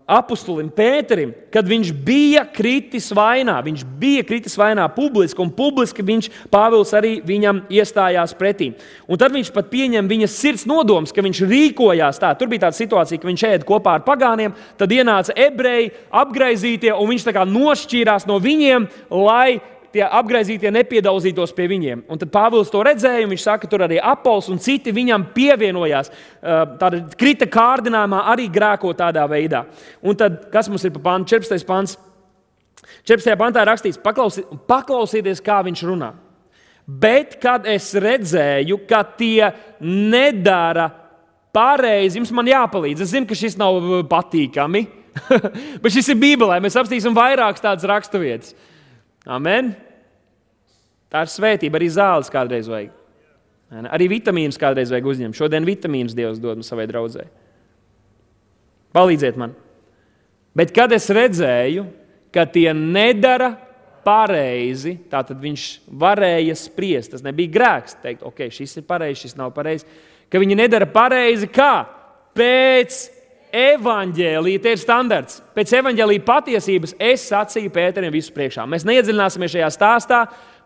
apostolim Pēterim, kad viņš bija kritis vainā. Viņš bija kritis vainā publiski, un publiski Pāvils arī viņam iestājās pretī. Un tad viņš pat pieņem viņa sirds nodoms, ka viņš rīkojās tā. Tur bija tāda situācija, ka viņš ēda kopā ar pagāniem, tad ienāca ebreji, apgraizītie, un viņš tā kā nošķīrās no viņiem, lai tie apgraizītie nepiedauzītos pie viņiem. Un tad Pāvils to redzēja, un viņš saka, tur arī Apols un citi viņam pievienojās. Tāda krita kārdinājumā arī grēko tādā veidā. Un tad, kas mums ir pa pantu? 14. pants. 14. pantā ir rakstīts, paklausieties, kā viņš runā. Bet, kad es redzēju, ka tie nedara pareizi, jums man jāpalīdz. Es zinu, ka šis nav patīkami, bet šis ir Bībelē. Mēs apstīsim vairākas tādas raksturvietas. Amen. Tā ir svētība, arī zāles kādreiz vajag. Arī vitamīnus kādreiz vajag uzņemt. Šodien vitamīnus Dievs dod savai draudzē. Palīdziet man. Bet kad es redzēju, ka tie nedara pareizi, tātad viņš varēja spriest. Tas nebija grēks teikt, ok, šis ir pareizi, šis nav pareizi. Ka viņi nedara pareizi kā? Pēc evaņģēlija, tie ir standarts. Pēc evaņģēlija patiesības es sacīju Pēterim visu priekšā. Mēs neiedziļināsimies šajā stāstā,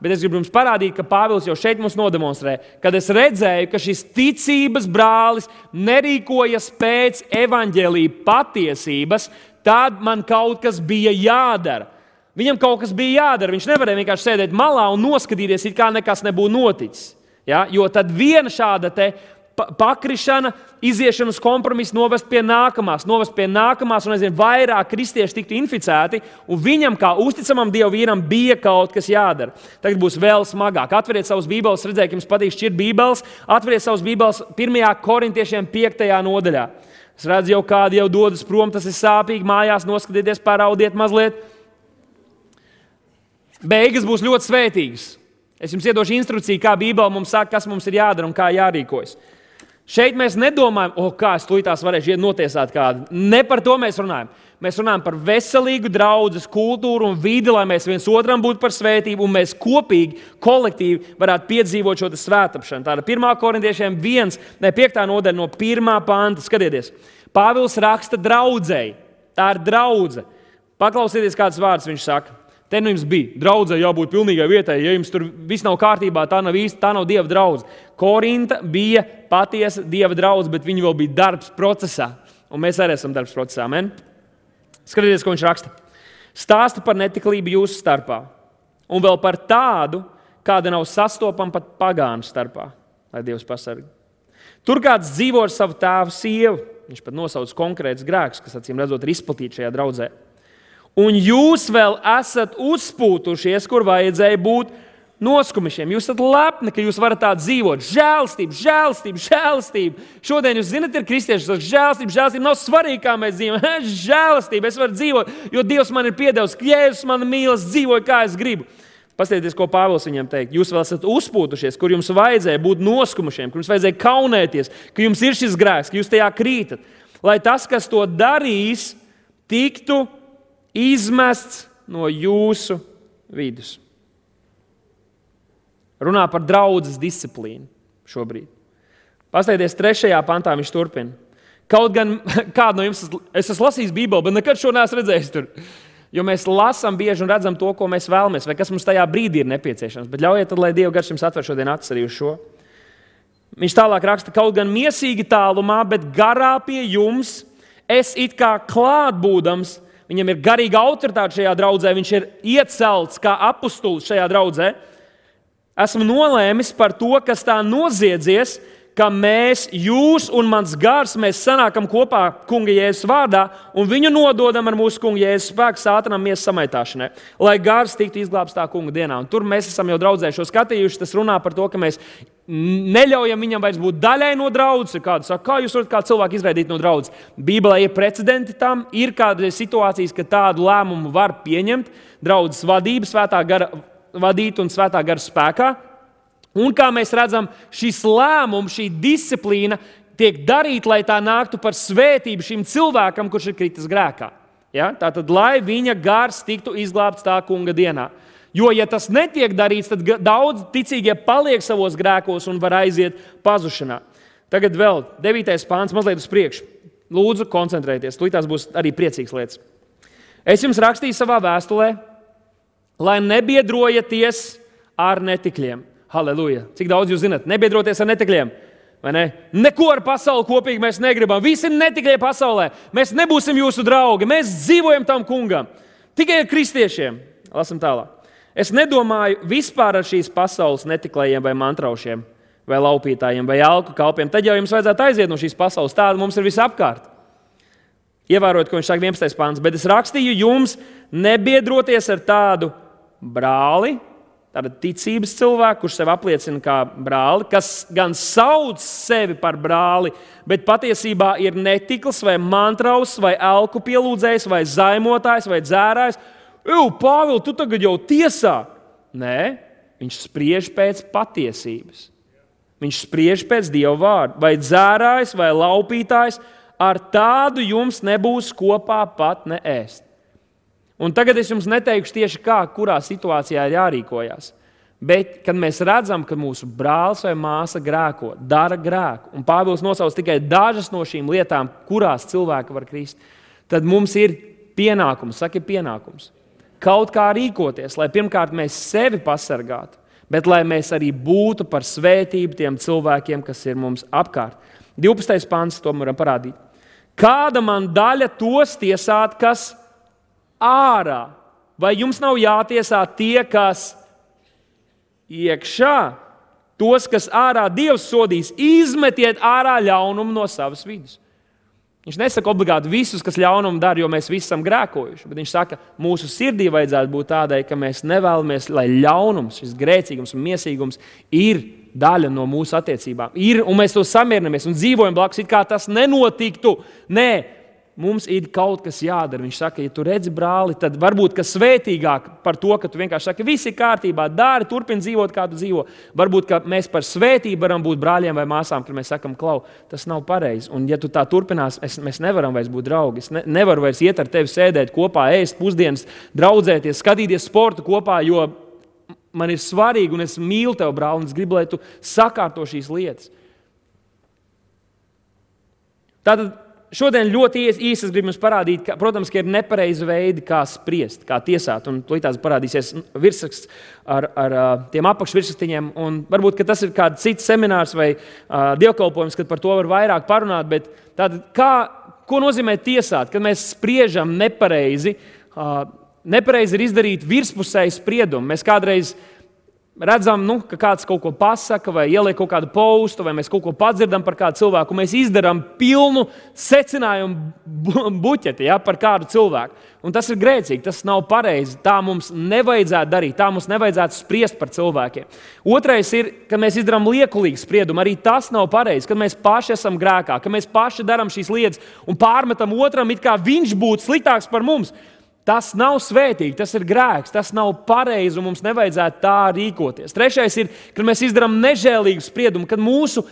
bet es gribu jums parādīt, ka Pāvils jau šeit mums nodemonstrē, kad es redzēju, ka šis ticības brālis nerīkojas pēc evaņģēlija patiesības, tad man kaut kas bija jādara. Viņam kaut kas bija jādara. Viņš nevarēja vienkārši sēdēt malā un noskatīties, it kā nekas nebūtu noticis. Ja? Jo tad viena šāda te pakrišana, iziešana uz kompromisu novest pie nākamās, un aizvien vairāk kristieši tiktu inficēti, un viņam, kā uzticamam Dieva vīram, bija kaut kas jādara. Tagad būs vēl smagāk. Atveriet savus bībeles, redzēju, ka jums patīk šķirt bībeles. Atveriet savus bībeles 1. korintiešiem 5. nodaļā. Es redzu, jau kādi jau dodas prom, tas ir sāpīgi, mājās noskatieties, paraudiet mazliet. Beigas būs ļoti svētīgas. Es jums iedošu instrukciju, kā Bībele mums saka, kas mums ir jādara un kā jārīkojas. Šeit mēs nedomājam, kā es tūlītās varēšu notiesāt kādu. Ne par to mēs runājam. Mēs runājam par veselīgu draudzes kultūru un vidi, lai mēs viens otram būtu par svētību un mēs kopīgi, kolektīvi varētu piedzīvot šo svētāpšanu. Tāda 1. korintiešiem 5. nodaļa no 1. panta. Skatieties, Pāvils raksta draudzei. Tā ir draudze. Paklausieties, kāds vārds viņš saka. Te nu jums bija. Draudzei jābūt pilnīgai vietai. Ja jums tur viss nav kārtībā, tā nav Dieva draudze. Korinta bija patiesa Dieva draudze, bet viņi vēl bija darbs procesā. Un mēs arī esam darbs procesā. Amen? Skatieties, ko viņš raksta. Stāsta par netiklību jūsu starpā. Un vēl par tādu, kāda nav sastopama pat pagānu starpā. Lai Dievs pasargā. Tur kāds dzīvo ar savu tēvu sievu. Viņš pat nosauc konkrēts grēks, kas acīm redzot ir izplatīts šajā draudzē. Un jūs vēl esat uzspūtušies, kur vajadzēja būt noskumišiem. Jūs esat lepni, ka jūs varat tā dzīvot. Žēlastība. Šodien jūs zināt, ir kristieši, kas žēlastība nav svarīgi, kā mēs dzīvojam. Žēlastība, es varu dzīvot, jo Dievs man ir piedevis, Jēzus man mīlas, dzīvoju, kā es gribu. Paskatieties, ko Pāvils viņam teikt. Jūs vēl esat uzpūtušies, kur jums vajadzēja būt noskumušiem, kur jums vajadzēja kaunēties, ka jums ir šis grēks, ka jūs tajā krītat. Lai tas, kas to darīs, tiktu izmests no jūsu vidus. Runā par draudzes disciplīnu šobrīd. Paskatieties, 3. pantā viņš turpina. Kaut gan kādu no jums, es esmu lasījis Bībeli, bet nekad šo neesmu redzējis tur. Jo mēs lasām bieži un redzam to, ko mēs vēlamies, vai kas mums tajā brīdī ir nepieciešams. Bet ļaujiet tad, lai Dieva gars jums atver šodien acis arī uz šo. Viņš tālāk raksta, kaut gan miesīgi tālumā, bet garā pie jums, es it kā klātbūdams, viņam ir garīga autoritāte šajā draudzē, viņš ir iecelts kā apustulis šajā draudzē. Esmu nolēmis par to, kas tā noziedzies, ka mēs, jūs un mans gars, mēs sanākam kopā Kunga Jēzus vārdā un viņu nododam ar mūsu Kunga Jēzus spēku sātanam miesas samaitāšanai, lai gars tiktu izglābts tā Kunga dienā. Un tur mēs esam jau draudzē šo skatījuši, tas runā par to, ka mēs neļaujam viņam vairs būt daļai no draudzes. Kādu saka, kā jūs varat kā cilvēku izraidīt no draudzes? Bībelē ir precedenti tam, ir kādas situācijas, ka tādu lēmumu var pieņemt draudzes vadība, svētā gara vadīt un svētā gara spēkā. Un kā mēs redzam, šis lēmums, šī disciplīna tiek darīta, lai tā nāktu par svētību šim cilvēkam, kurš ir kritis grēkā. Ja? Tātad, lai viņa gars tiktu izglābts tā Kunga dienā. Jo, ja tas netiek darīts, tad daudz ticīgie paliek savos grēkos un var aiziet pazušanā. Tagad vēl 9. pāns, mazliet uz priekšu. Lūdzu, koncentrējieties, tās būs arī priecīgas lietas. Es jums rakstīju savā vēstulē, lai nebiedrojaties ar netikļiem. Halleluja! Cik daudz jūs zināt? Nebiedroties ar netikļiem. Vai ne? Neko ar pasauli kopīgi mēs negribam. Visi ir netikļie pasaulē. Mēs nebūsim jūsu draugi. Mēs dzīvojam tam Kungam. Tikai ar kristiešiem. Lasam tālāk. Es nedomāju vispār ar šīs pasaules netiklējiem vai mantraušiem, vai laupītājiem, vai alku kalpiem. Tad jau jums vajadzētu aiziet no šīs pasaules. Tāda mums ir visapkārt. Ievērot, ko viņš saka 11. pāns. Bet es rakstīju jums nebiedroties ar tādu brāli, tāda ticības cilvēku, kurš sevi apliecina kā brāli, kas gan sauc sevi par brāli, bet patiesībā ir netikls vai mantraus, vai elku pielūdzējs, vai zaimotājs, vai dzērājs. Pāvil, tu tagad jau tiesā. Nē, viņš spriež pēc patiesības. Viņš spriež pēc Dieva vārda. Vai dzērājs, vai laupītājs, ar tādu jums nebūs kopā pat ne ēst. Un tagad es jums neteikšu tieši kā, kurā situācijā ir jārīkojas. Bet, kad mēs redzam, ka mūsu brālis vai māsa grēko, dara grēku, un Pāvils nosauc tikai dažas no šīm lietām, kurās cilvēki var krist, tad mums ir pienākums, kaut kā rīkoties, lai pirmkārt mēs sevi pasargātu, bet lai mēs arī būtu par svētību tiem cilvēkiem, kas ir mums apkārt. 12. pants, to varam parādīt. Kāda man daļa tos tiesāt, kas ārā? Vai jums nav jātiesā tie, kas iekšā? Tos, kas ārā Dievs sodīs, izmetiet ārā ļaunumu no savas vidus. Viņš nesaka obligāti visus, kas ļaunumu dara, jo mēs visi esam grēkojuši. Bet viņš saka, mūsu sirdī vajadzētu būt tādai, ka mēs nevēlamies, lai ļaunums, šis grēcīgums un miesīgums ir daļa no mūsu attiecībām. Ir, un mēs to samierinamies un dzīvojam blakus, it kā tas nenotiktu. Nē, mums ir kaut kas jādara. Viņš saka, ja tu redzi brāli, tad varbūt ka svētīgāk par to, ka tu vienkārši saki, viss ir kārtībā, dari, turpini dzīvot, kā tu dzīvo. Varbūt, ka mēs par svētību varam būt brāļiem vai māsām, kad mēs sakam, klau, tas nav pareizi. Un ja tu tā turpinās, mēs nevaram vairs būt draugi. Es nevaru vairs iet ar tevi sēdēt kopā, ēst pusdienas, draudzēties, skatīties sportu kopā, jo man ir svarīgi un es mīlu tevi, brāli, un es gribu, lai tu sakārto šīs lietas. Tātad šodien ļoti īsi es gribu jums parādīt, ka, protams, ka ir nepareizi veidi, kā spriest, kā tiesāt. Un līdz parādīsies virsraksts ar tiem apakšvirsrakstiņiem. Un varbūt, ka tas ir kāds cits seminārs vai dievkalpojums, kad par to var vairāk parunāt. Bet tātad, ko nozīmē tiesāt? Kad mēs spriežam nepareizi, nepareizi ir izdarīt virspusēju spriedumu. Mēs kādreiz redzam, ka kāds kaut ko pasaka, vai ieliek kaut kādu postu, vai mēs kaut ko padzirdam par kādu cilvēku, un mēs izdarām pilnu secinājumu buķeti par kādu cilvēku. Un tas ir grēcīgi, tas nav pareizi. Tā mums nevajadzētu darīt, tā mums nevajadzētu spriest par cilvēkiem. Otrais ir, kad mēs izdarām liekulīgu spriedumu, arī tas nav pareizi, kad mēs paši esam grēkā, kad mēs paši darām šīs lietas un pārmetam otram, it kā viņš būtu sliktāks par mums. Tas nav svētīgi, tas ir grēks, tas nav pareizi un mums nevajadzētu tā rīkoties. Trešais ir, kad mēs izdarām nežēlīgu spriedumu, kad mūsu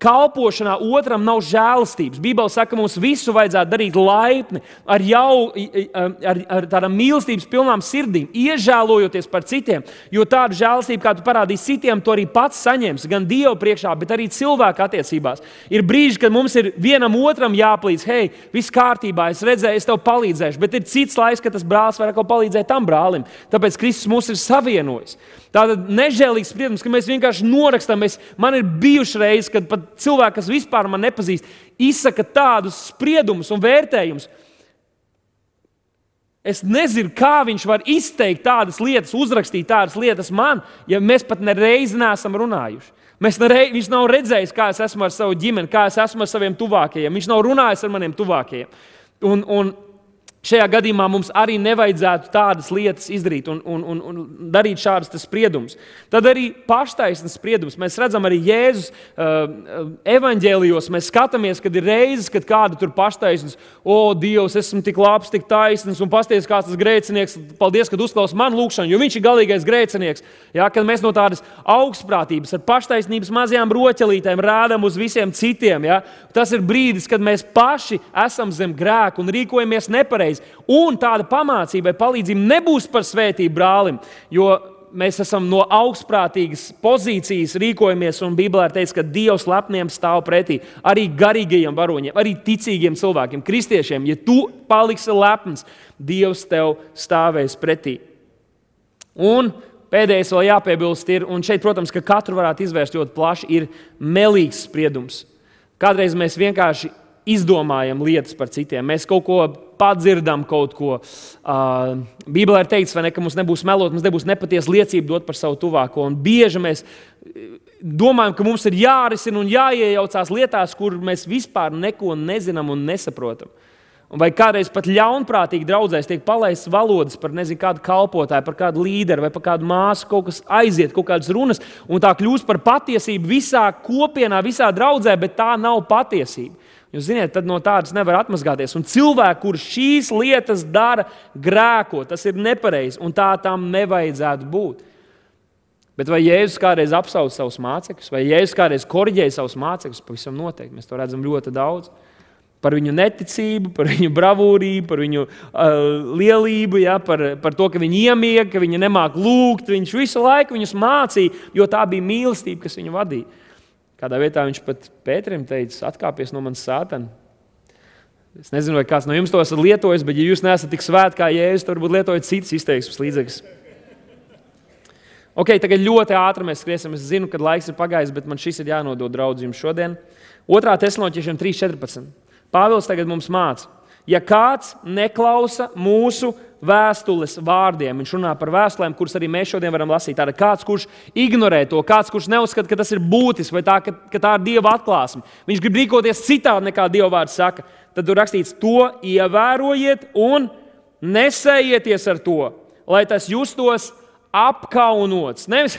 kalpošanā otram nav žēlastības. Bībele saka, mums visu vajadzētu darīt laipni, ar tādām mīlestības pilnām sirdīm, iežēlojoties par citiem, jo tādu žēlastību, kā tu parādīsi citiem, tu arī pats saņemsi, gan Dievu priekšā, bet arī cilvēku attiecībās. Ir brīži, kad mums ir vienam otram jāplīdz, hei, viss kārtībā, es redzēju, es tev palīdzēšu, bet ir cits laiks, kad tas brālis var kaut palīdzēt tam brālim, tāpēc Kristus mūs ir savienojis. Tātad nežēlīgs spriedums, ka mēs vienkārši norakstam. Man ir bijuši reizes, kad pat cilvēki, kas vispār man nepazīst, izsaka tādus spriedumus un vērtējumus. Es nezinu, kā viņš var izteikt tādas lietas, uzrakstīt tādas lietas man, ja mēs pat nereizi neesam runājuši. Viņš nav redzējis, kā es esmu ar savu ģimeni, kā es esmu ar saviem tuvākajiem. Viņš nav runājis ar maniem tuvākajiem. Un šajā gadījumā mums arī nevajadzētu tādas lietas izdarīt un darīt šādas spriedumus. Tad arī paštaisnes spriedums. Mēs redzam arī Jēzus evaņģēlijos. Mēs skatāmies, kad ir reizes, kad kāda tur paštaisnes. O, Dievs, esmu tik labs, tik taisns un pasties, kāds tas grēcinieks. Paldies, kad uzklaus manu lūgšanu, jo viņš ir galīgais grēcinieks. Ja, kad mēs no tādas augstprātības ar paštaisnības mazajām roķelītēm rādām uz visiem citiem. Ja, tas ir brīdis, kad mēs paši esam zem grēka un rīkojamies nepareizi. Un tāda pamācība vai palīdzība nebūs par svētību brālim, jo mēs esam no augstprātīgas pozīcijas rīkojamies, un Bībelē ir teikts, ka Dievs lepniem stāv pretī, arī garīgajiem varoņiem, arī ticīgiem cilvēkiem, kristiešiem. Ja tu paliksi lepns, Dievs tev stāvēs pretī. Un pēdējais vēl jāpiebilst ir, un šeit, protams, ka katru varētu izvērst ļoti plaši, ir melīgs spriedums. Kādreiz mēs vienkārši izdomājam lietas par citiem. Mēs kaut ko padzirdam, kaut ko. Bībelē ir teikts, vai ne, ka mums nebūs melot, mums nebūs nepatiesa liecība dot par savu tuvāko. Un bieži mēs domājam, ka mums ir jārisina un jāiejaucās lietās, kur mēs vispār neko nezinām un nesaprotam. Vai kādreiz pat ļaunprātīgi draudzēs tiek palaists valodas par kādu kalpotāju, par kādu līderi vai par kādu māsu, kaut kas aiziet, kaut kādas runas, un tā kļūst par patiesību visā kopienā, visā draudzē, bet tā nav patiesība. Jūs ziniet, tad no tādas nevar atmazgāties. Un cilvēki, kurš šīs lietas dara, grēko, tas ir nepareizi, un tā tam nevajadzētu būt. Bet vai Jēzus kādreiz apsauca savus mācekļus, vai Jēzus kādreiz koriģēja savus mācekļus? Pavisam noteikti, mēs to redzam ļoti daudz. Par viņu neticību, par viņu bravūrību, par viņu lielību, ja, par to, ka viņi iemiega, ka viņi nemāk lūgt. Viņš visu laiku viņus mācīja, jo tā bija mīlestība, kas viņu vadīja. Kādā vietā viņš pat Pēterim teica, atkāpies no manis Sātana. Es nezinu, vai kāds no jums to esat lietojis, bet ja jūs neesat tik svēti kā Jēzus, tad varbūt lietojat citas izteiksmes līdzekļus. Ok, tagad ļoti ātri mēs skriesim. Es zinu, kad laiks ir pagājis, bet man šis ir jānodod draudz jums šodien. 2. Tesaloniķiešiem 3.14. Pāvils tagad mums māca. Ja kāds neklausa mūsu vēstules vārdiem, viņš runā par vēstulēm, kuras arī mēs šodien varam lasīt. Tātad kāds, kurš ignorē to, kāds, kurš neuzskata, ka tas ir būtisks vai tā, ka tā ir Dieva atklāsme. Viņš grib rīkoties citādi nekā Dieva vārds saka. Tad tur rakstīts, to ievērojiet un nesējieties ar to, lai tas justos apkaunots. Nevis,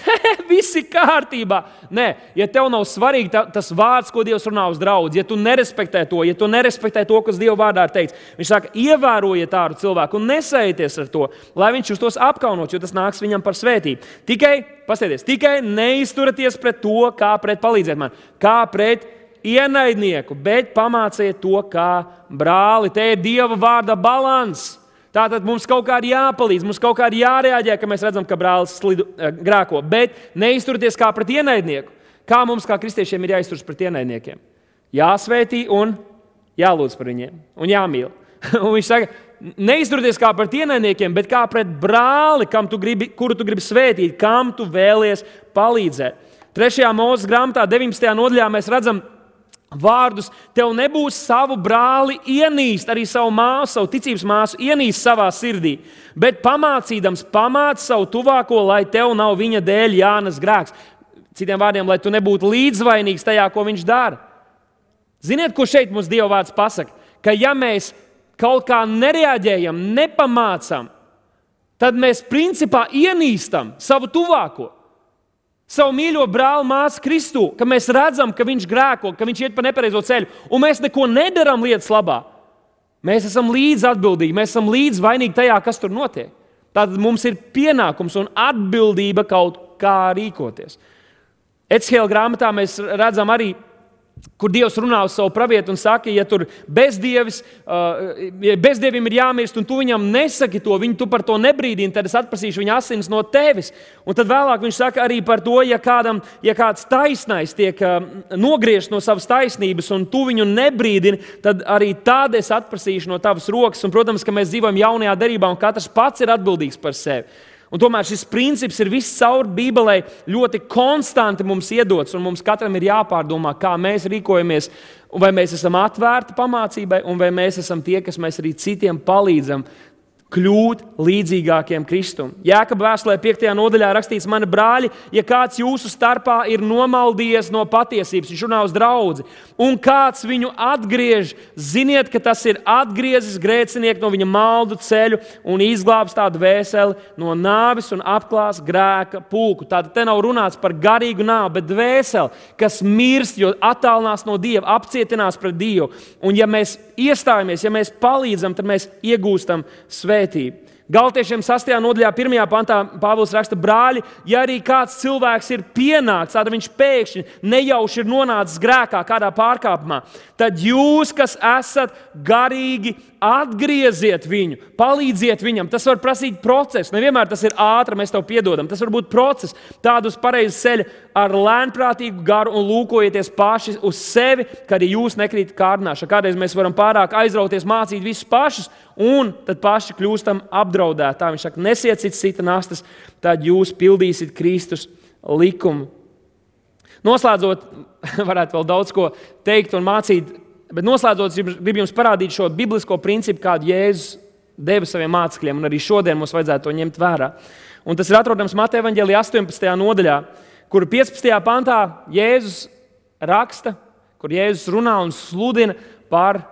viss ir kārtībā. Nē, ja tev nav svarīgi tas vārds, ko Dievs runā uz draudzi, ja tu nerespektē to, kas Dieva vārdā ir teikts, viņš saka, ievērojiet tādu cilvēku un nesējieties ar to, lai viņš justos apkaunots, jo tas nāks viņam par svētību. Tikai neizturaties pret to, kā pret palīdziet man, kā pret ienaidnieku, bet pamāciet to kā brāli. Te ir Dieva vārda balans. Tātad mums kaut kā ir jāpalīdz, mums kaut kā ir jārēģē, ka mēs redzam, ka brālis grēko, bet neizturieties kā pret ienaidnieku. Kā mums, kā kristiešiem, ir jāizturas pret ienaidniekiem? Jāsvētī un jālūdz par viņiem un jāmīl. Un viņš saka, neizturieties kā pret ienaidniekiem, bet kā pret brāli, kuru tu gribi svētīt, kam tu vēlies palīdzēt. 3. Mūzes grāmatā 19. nodaļā mēs redzam vārdus, tev nebūs savu brāli ienīst, arī savu māsu, savu ticības māsu ienīst savā sirdī, bet pamācīdams pamāc savu tuvāko, lai tev nav viņa dēļ jānes grēks. Citiem vārdiem, lai tu nebūtu līdzvainīgs tajā, ko viņš dara. Ziniet, ko šeit mums Dieva vārds pasaka? Ka ja mēs kaut kā nereaģējam, nepamācam, tad mēs principā ienīstam savu tuvāko. Savu mīļo brāli, māsu Kristu, ka mēs redzam, ka viņš grēko, ka viņš iet pa nepareizo ceļu, un mēs neko nedaram lietas labā. Mēs esam līdz atbildīgi, mēs esam līdz vainīgi tajā, kas tur notiek. Tātad mums ir pienākums un atbildība kaut kā rīkoties. Ecēla grāmatā mēs redzam arī, kur Dievs runā uz savu pravietu un saka, ja tur bezdievim ir jāmirst un tu viņam nesaki to, tu par to nebrīdini, tad es atprasīšu viņa asinis no tevis. Un tad vēlāk viņš saka arī par to, ja kāds taisnais tiek nogriezts no savas taisnības un tu viņu nebrīdini, tad arī tad es atprasīšu no tavas rokas. Un, protams, ka mēs dzīvojam jaunajā derībā un katrs pats ir atbildīgs par sevi. Un tomēr šis princips ir viss caur Bībelē ļoti konstanti mums iedots, un mums katram ir jāpārdomā, kā mēs rīkojamies, un vai mēs esam atvērti pamācībai, un vai mēs esam tie, kas mēs arī citiem palīdzam kļūt līdzīgākiem Kristum. Jākaba vēstulē 5. nodaļā rakstīts, mani brāļi, ja kāds jūsu starpā ir nomaldījies no patiesības, viņš runā uz draudzi, un kāds viņu atgriež, ziniet, ka tas ir atgriezis grēcinieku no viņa maldu ceļu un izglābs tādu dvēseli no nāves un apklās grēka pulku. Tātad te nav runāts par garīgu nāvi, bet dvēseli, kas mirst, jo attālinās no Dieva, apcietinās pret Dievu. Un ja mēs iestājamies, ja mēs palīdzam, tad mēs iegūstam svētību. Galatiešiem 6. nodaļā 1. pantā Pāvils raksta, brāļi, ja arī kāds cilvēks ir pienācis, tad viņš pēkšņi nejauši ir nonācis grēkā, kādā pārkāpumā, tad jūs, kas esat garīgi, atgrieziet viņu, palīdziet viņam. Tas var prasīt procesu. Nevienmēr tas ir ātri, mēs tev piedodam. Tas var būt process, tādu uz pareizu ceļu ar lēnprātīgu garu un lūkojieties paši uz sevi, ka arī jūs nekrītat kārdināšanā. Kādreiz mēs varam pārāk aizrauties, mācīt visus pašus, un tad paši kļūstam apdraudēti. Tā viņš saka, nesiet cita nastas, tad jūs pildīsiet Kristus likumu. Noslēdzot, varētu vēl daudz ko teikt un mācīt, bet noslēdzot, gribu jums parādīt šo biblisko principu, kādu Jēzus deva saviem mācekļiem, un arī šodien mums vajadzētu to ņemt vērā. Un tas ir atrodams Mateja evaņģēlijā 18. nodaļā, kur 15. pantā Jēzus raksta, kur Jēzus runā un sludina par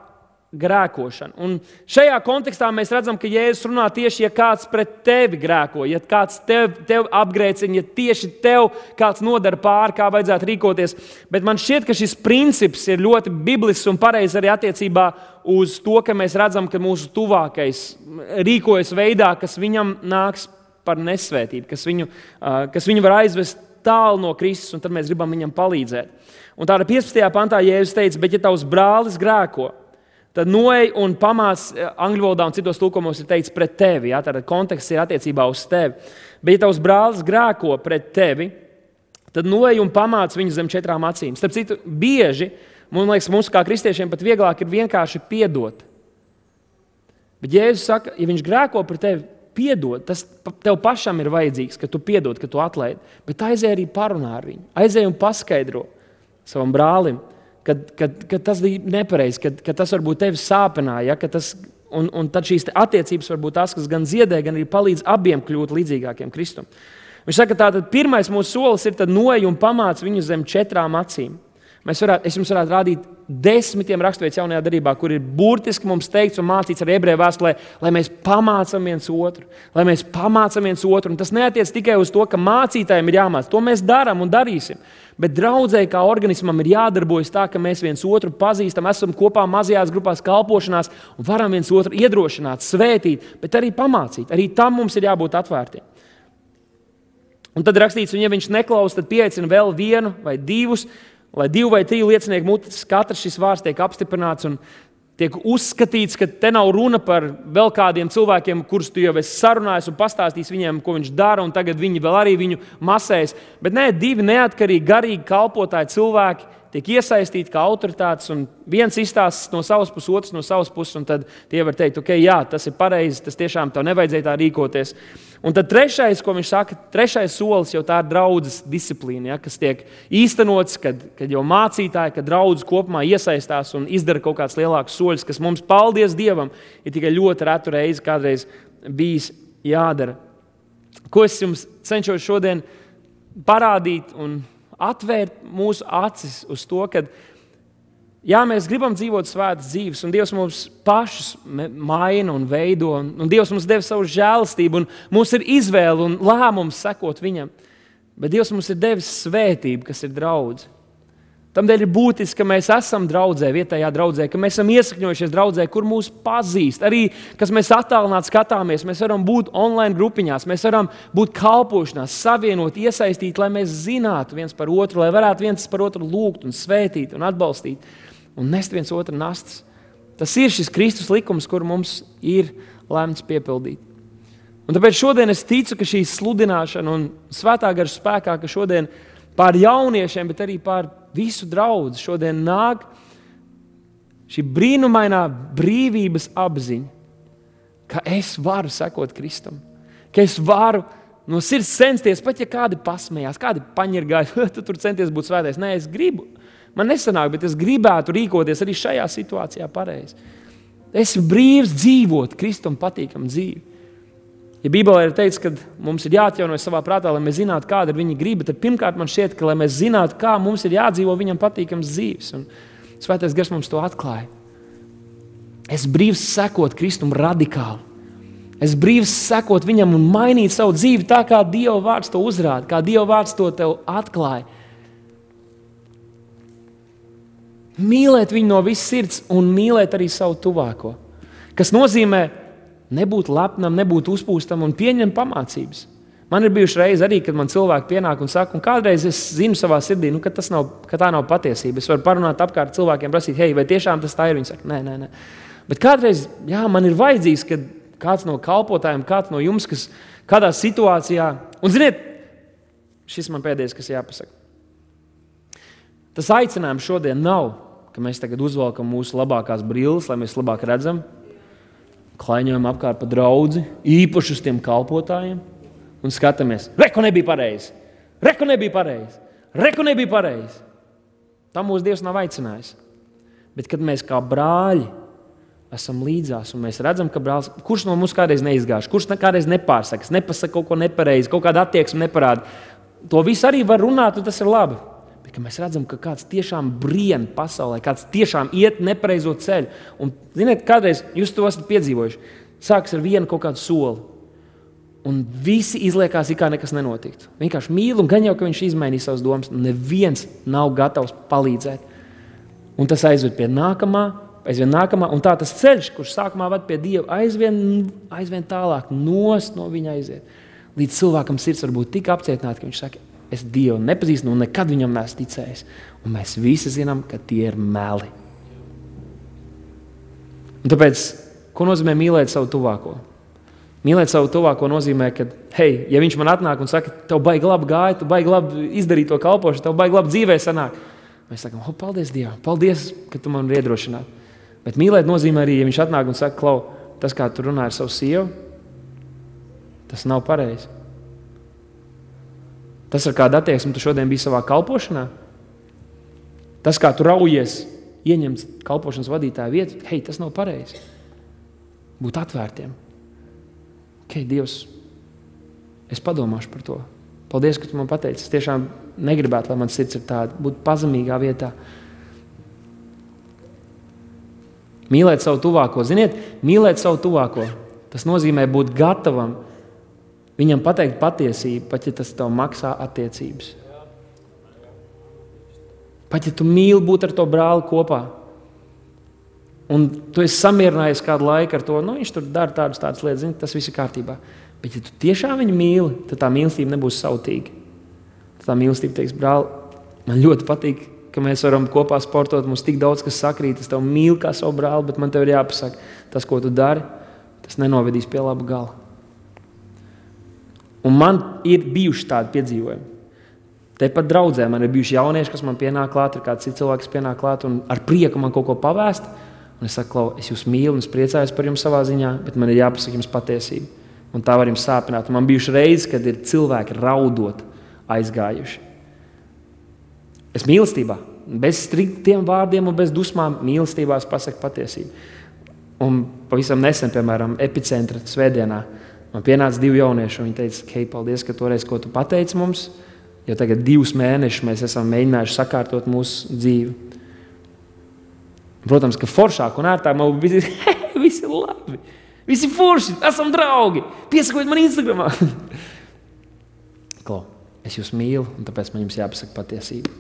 grēkošanu. Un šajā kontekstā mēs redzam, ka Jēzus runā tieši, ja kāds pret tevi grēko, ja kāds tev apgrēcina, ja tieši tev kāds nodara pāri, kā vajadzētu rīkoties. Bet man šķiet, ka šis princips ir ļoti biblisks un pareizs arī attiecībā uz to, ka mēs redzam, ka mūsu tuvākais rīkojas veidā, kas viņam nāks par nesvētību, kas viņu var aizvest tālu no Kristus, un tad mēs gribam viņam palīdzēt. Un tāda 15. pantā Jēzus teica, bet ja tavs brālis grēko, tad noej un pamāc, angļu valodā un citos tulkumos ir teikts pret tevi. Ja? Tātad konteksts ir attiecībā uz tevi. Bet ja tavs brālis grēko pret tevi, tad noej un pamāc viņu zem 4 acīm. Starp citu, bieži, man liekas, mums kā kristiešiem pat vieglāk ir vienkārši piedot. Bet Jēzus saka, ja viņš grēko pret tevi, piedod, tas tev pašam ir vajadzīgs, ka tu piedod, ka tu atlaidi. Bet aizej arī parunā ar viņu. Aizej un paskaidro savam brālim, ka tas bija nepareizi, ka tas varbūt tevi sāpināja, ja, un tad šīs attiecības var būt tas, kas gan ziedē, gan arī palīdz abiem kļūt līdzīgākiem Kristum. Viņš saka, tātad pirmais mūsu solis ir tad noej un pamāc viņu zem 4 acīm. Es jums varētu rādīt 10 raksturvietas jaunajā darbā, kur ir burtiski mums teikts un mācīts ar ebreju vēstulē, lai mēs pamācam viens otru. Lai mēs pamācam viens otru. Un tas neatiec tikai uz to, ka mācītājiem ir jāmāc. To mēs darām un darīsim. Bet draudzē kā organismam ir jādarbojas tā, ka mēs viens otru pazīstam, esam kopā mazajās grupās kalpošanās un varam viens otru iedrošināt, svētīt, bet arī pamācīt. Arī tam mums ir jābūt atvērtiem. Un tad rakstīts, un ja viņš neklaus, tad pieaicina vēl vienu vai divus, lai 2 vai 3 liecinieku mutes, katrs šis vārds tiek apstiprināts un tiek uzskatīts, ka te nav runa par vēl kādiem cilvēkiem, kurus tu jau esi sarunājis un pastāstījis viņiem, ko viņš dara, un tagad viņi vēl arī viņu masēs. Bet nē, 2 neatkarīgi, garīgi kalpotāji cilvēki tiek iesaistīti kā autoritātes, un viens izstāsta no savas puses, otrs no savas puses, un tad tie var teikt, ok, jā, tas ir pareizi, tas tiešām tev nevajadzēja tā rīkoties. Un tad trešais, ko viņš saka, trešais solis jau tā ir draudzes disciplīna, ja, kas tiek īstenots, kad jau mācītāji, kad draudzes kopumā iesaistās un izdara kaut kāds lielāks soļus, kas mums, paldies Dievam, ir tikai ļoti retu reizi kādreiz bijis jādara. Ko es jums cenšos šodien parādīt un atvērt mūsu acis uz to, ka jā, mēs gribam dzīvot svētas dzīves, un Dievs mums pašus maina un veido, un Dievs mums deva savu žēlastību, un mums ir izvēle un lēmums sekot viņam. Bet Dievs mums ir devis svētību, kas ir draudze. Tamdēļ ir būtiski, ka mēs esam draudzē, vietējā draudzē, ka mēs esam iesakņojušies draudzē, kur mūs pazīst. Arī, kas mēs attālināti skatāmies, mēs varam būt online grupiņās, mēs varam būt kalpošanās, savienot, iesaistīt, lai mēs zinātu viens par otru, lai varētu viens par otru lūgt un svētīt un atbalstīt un nest viens otru nastas. Tas ir šis Kristus likums, kur mums ir lemts piepildīt. Un tāpēc šodien es ticu, ka šī sludināšana un svētā gara spēkā, ka šodien pār jauniešiem, bet arī pār visu draudzi šodien nāk šī brīnumainā brīvības apziņa, ka es varu sekot Kristum, ka es varu no sirds censties, pat ja kādi pasmējās, kādi paņirgāja, tu tur centies būt svētais. Nē, es gribu. Man nesanāk, bet es gribētu rīkoties arī šajā situācijā pareizi. Esmu brīvs dzīvot Kristum patīkamu dzīvi. Ja Bībelē ir teikts, ka mums ir jāatjaunojas savā prātā, lai mēs zinātu, kāda ir viņa griba, tad pirmkārt man šķiet, ka lai mēs zinātu, kā mums ir jādzīvo viņam patīkams dzīves. Un Svētais Gars mums to atklāja. Es brīvs sekot Kristum radikāli. Es brīvs sekot viņam un mainīt savu dzīvi tā, kā Dieva vārds to uzrāda, kā Dieva vārds to tev atklāja. Mīlēt viņu no visas sirds un mīlēt arī savu tuvāko. Kas nozīmē nebūt lepnam, nebūt uzpūstam un pieņemt pamācības. Man ir bijuši reizi arī, kad man cilvēki pienāk un saka, un kādreiz es zinu savā sirdī, ka tā nav patiesība. Es varu parunāt apkārt cilvēkiem, prasīt, hei, vai tiešām tas tā ir? Viņi saka, nē. Bet kādreiz, jā, man ir vajadzīgs, kad kāds no kalpotājiem, kāds no jums, kas kādā situācijā, un ziniet, šis man pēdējais, kas jāpasaka. Tas aicinājums šodien nav, ka mēs tagad uzvalkam mūsu labākās brilles, lai mēs labāk redzam, klaiņojam apkārt pa draudzi, īpaši uz tiem kalpotājiem un skatāmies, reku nebija pareizi. Tam mūsu Dievs nav aicinājis. Bet kad mēs kā brāļi esam līdzās un mēs redzam, ka brālis, kurš no mums kādreiz neizgāž, kurš kādreiz nepārsakas, nepasaka kaut ko nepareizi, kaut kādu attieksmi neparāda, to visu arī var runāt un tas ir labi. Bet kad mēs redzam, ka kāds tiešām brien pasaulē, kāds tiešām iet nepareizo ceļu. Un, ziniet, kādreiz jūs to esat piedzīvojuši. Sāks ar vienu kaut kādu soli. Un visi izliekās, kā nekas nenotiktu. Vienkārši mīl un gan jau, ka viņš izmainīs savas domas. Neviens nav gatavs palīdzēt. Un tas aizved pie nākamā. Un tā tas ceļš, kurš sākumā ved pie Dieva, aizvien tālāk nost no viņa aiziet. Līdz cilvēkam sirds var būt tik apcietināta, ka viņš saka, es Dievu nepazīstu un nekad viņam neesmu ticējis. Un mēs visi zinām, ka tie ir meli. Un tāpēc, ko nozīmē mīlēt savu tuvāko? Mīlēt savu tuvāko nozīmē, ka, hei, ja viņš man atnāk un saka, tev baigi labi gāja, tu baigi labi izdarīt to kalpošanu, tev baigi labi dzīvē sanāk. Mēs sakam, paldies Dievam, paldies, ka tu man vari iedrošināt. Bet mīlēt nozīmē arī, ja viņš atnāk un saka, klau, tas, kā tu runā ar savu sievu, tas nav pareizi. Tas, ar kādu attieksmi tu šodien biji savā kalpošanā, tas, kā tu raujies ieņemt kalpošanas vadītāja vietu, hei, tas nav pareizi. Būt atvērtiem. Dievs, es padomāšu par to. Paldies, ka tu man pateici. Es tiešām negribētu, lai mans sirds ir tāda, būt pazemīgā vietā. Mīlēt savu tuvāko. Ziniet, mīlēt savu tuvāko. Tas nozīmē būt gatavam viņam pateikt patiesību, pat ja tas tev maksā attiecības. Pat ja tu mīli būt ar to brāli kopā. Un tu esi samierinājies kādu laiku ar to, viņš tur dara tādas lietas, zini, tas viss ir kārtībā. Bet ja tu tiešām viņu mīli, tad tā mīlestība nebūs sautīga. Tā mīlestība teiks, brāli, man ļoti patīk, ka mēs varam kopā sportot, mums tik daudz, kas sakrīt, es tev mīlu kā savu brāli, bet man tev ir jāpasaka, tas, ko tu dari, tas nenovedīs pie laba gala. Un man ir bijuši tādi piedzīvojumi. Tepat draudzē man ir bijuši jaunieši, kas man pienāk klāt, ir kāds cits cilvēks pienāk klāt un ar prieku man kaut ko pavēst. Un es saku, Klau, es jūs mīlu un es priecājos par jums savā ziņā, bet man ir jāpasaka jums patiesība. Un tā var jums sāpināt. Un man bijuši reizes, kad ir cilvēki raudot aizgājuši. Es mīlestībā, bez striktiem vārdiem un bez dusmām, mīlestībā es pasaku patiesību. Un pavisam nesen, piemēram, Epicentra svētdienā, man pienāca 2 jaunieši, un viņi teica, hei, paldies, ka toreiz, ko tu pateici mums, jo tagad 2 mēnešus mēs esam mēģinājuši sakārtot mūsu dzīvi. Protams, ka foršāk un ērtāk man visi ir labi, visi forši, esam draugi, piesakojiet man Instagramā. Klau, es jūs mīlu, un tāpēc man jums jāpasaka patiesība.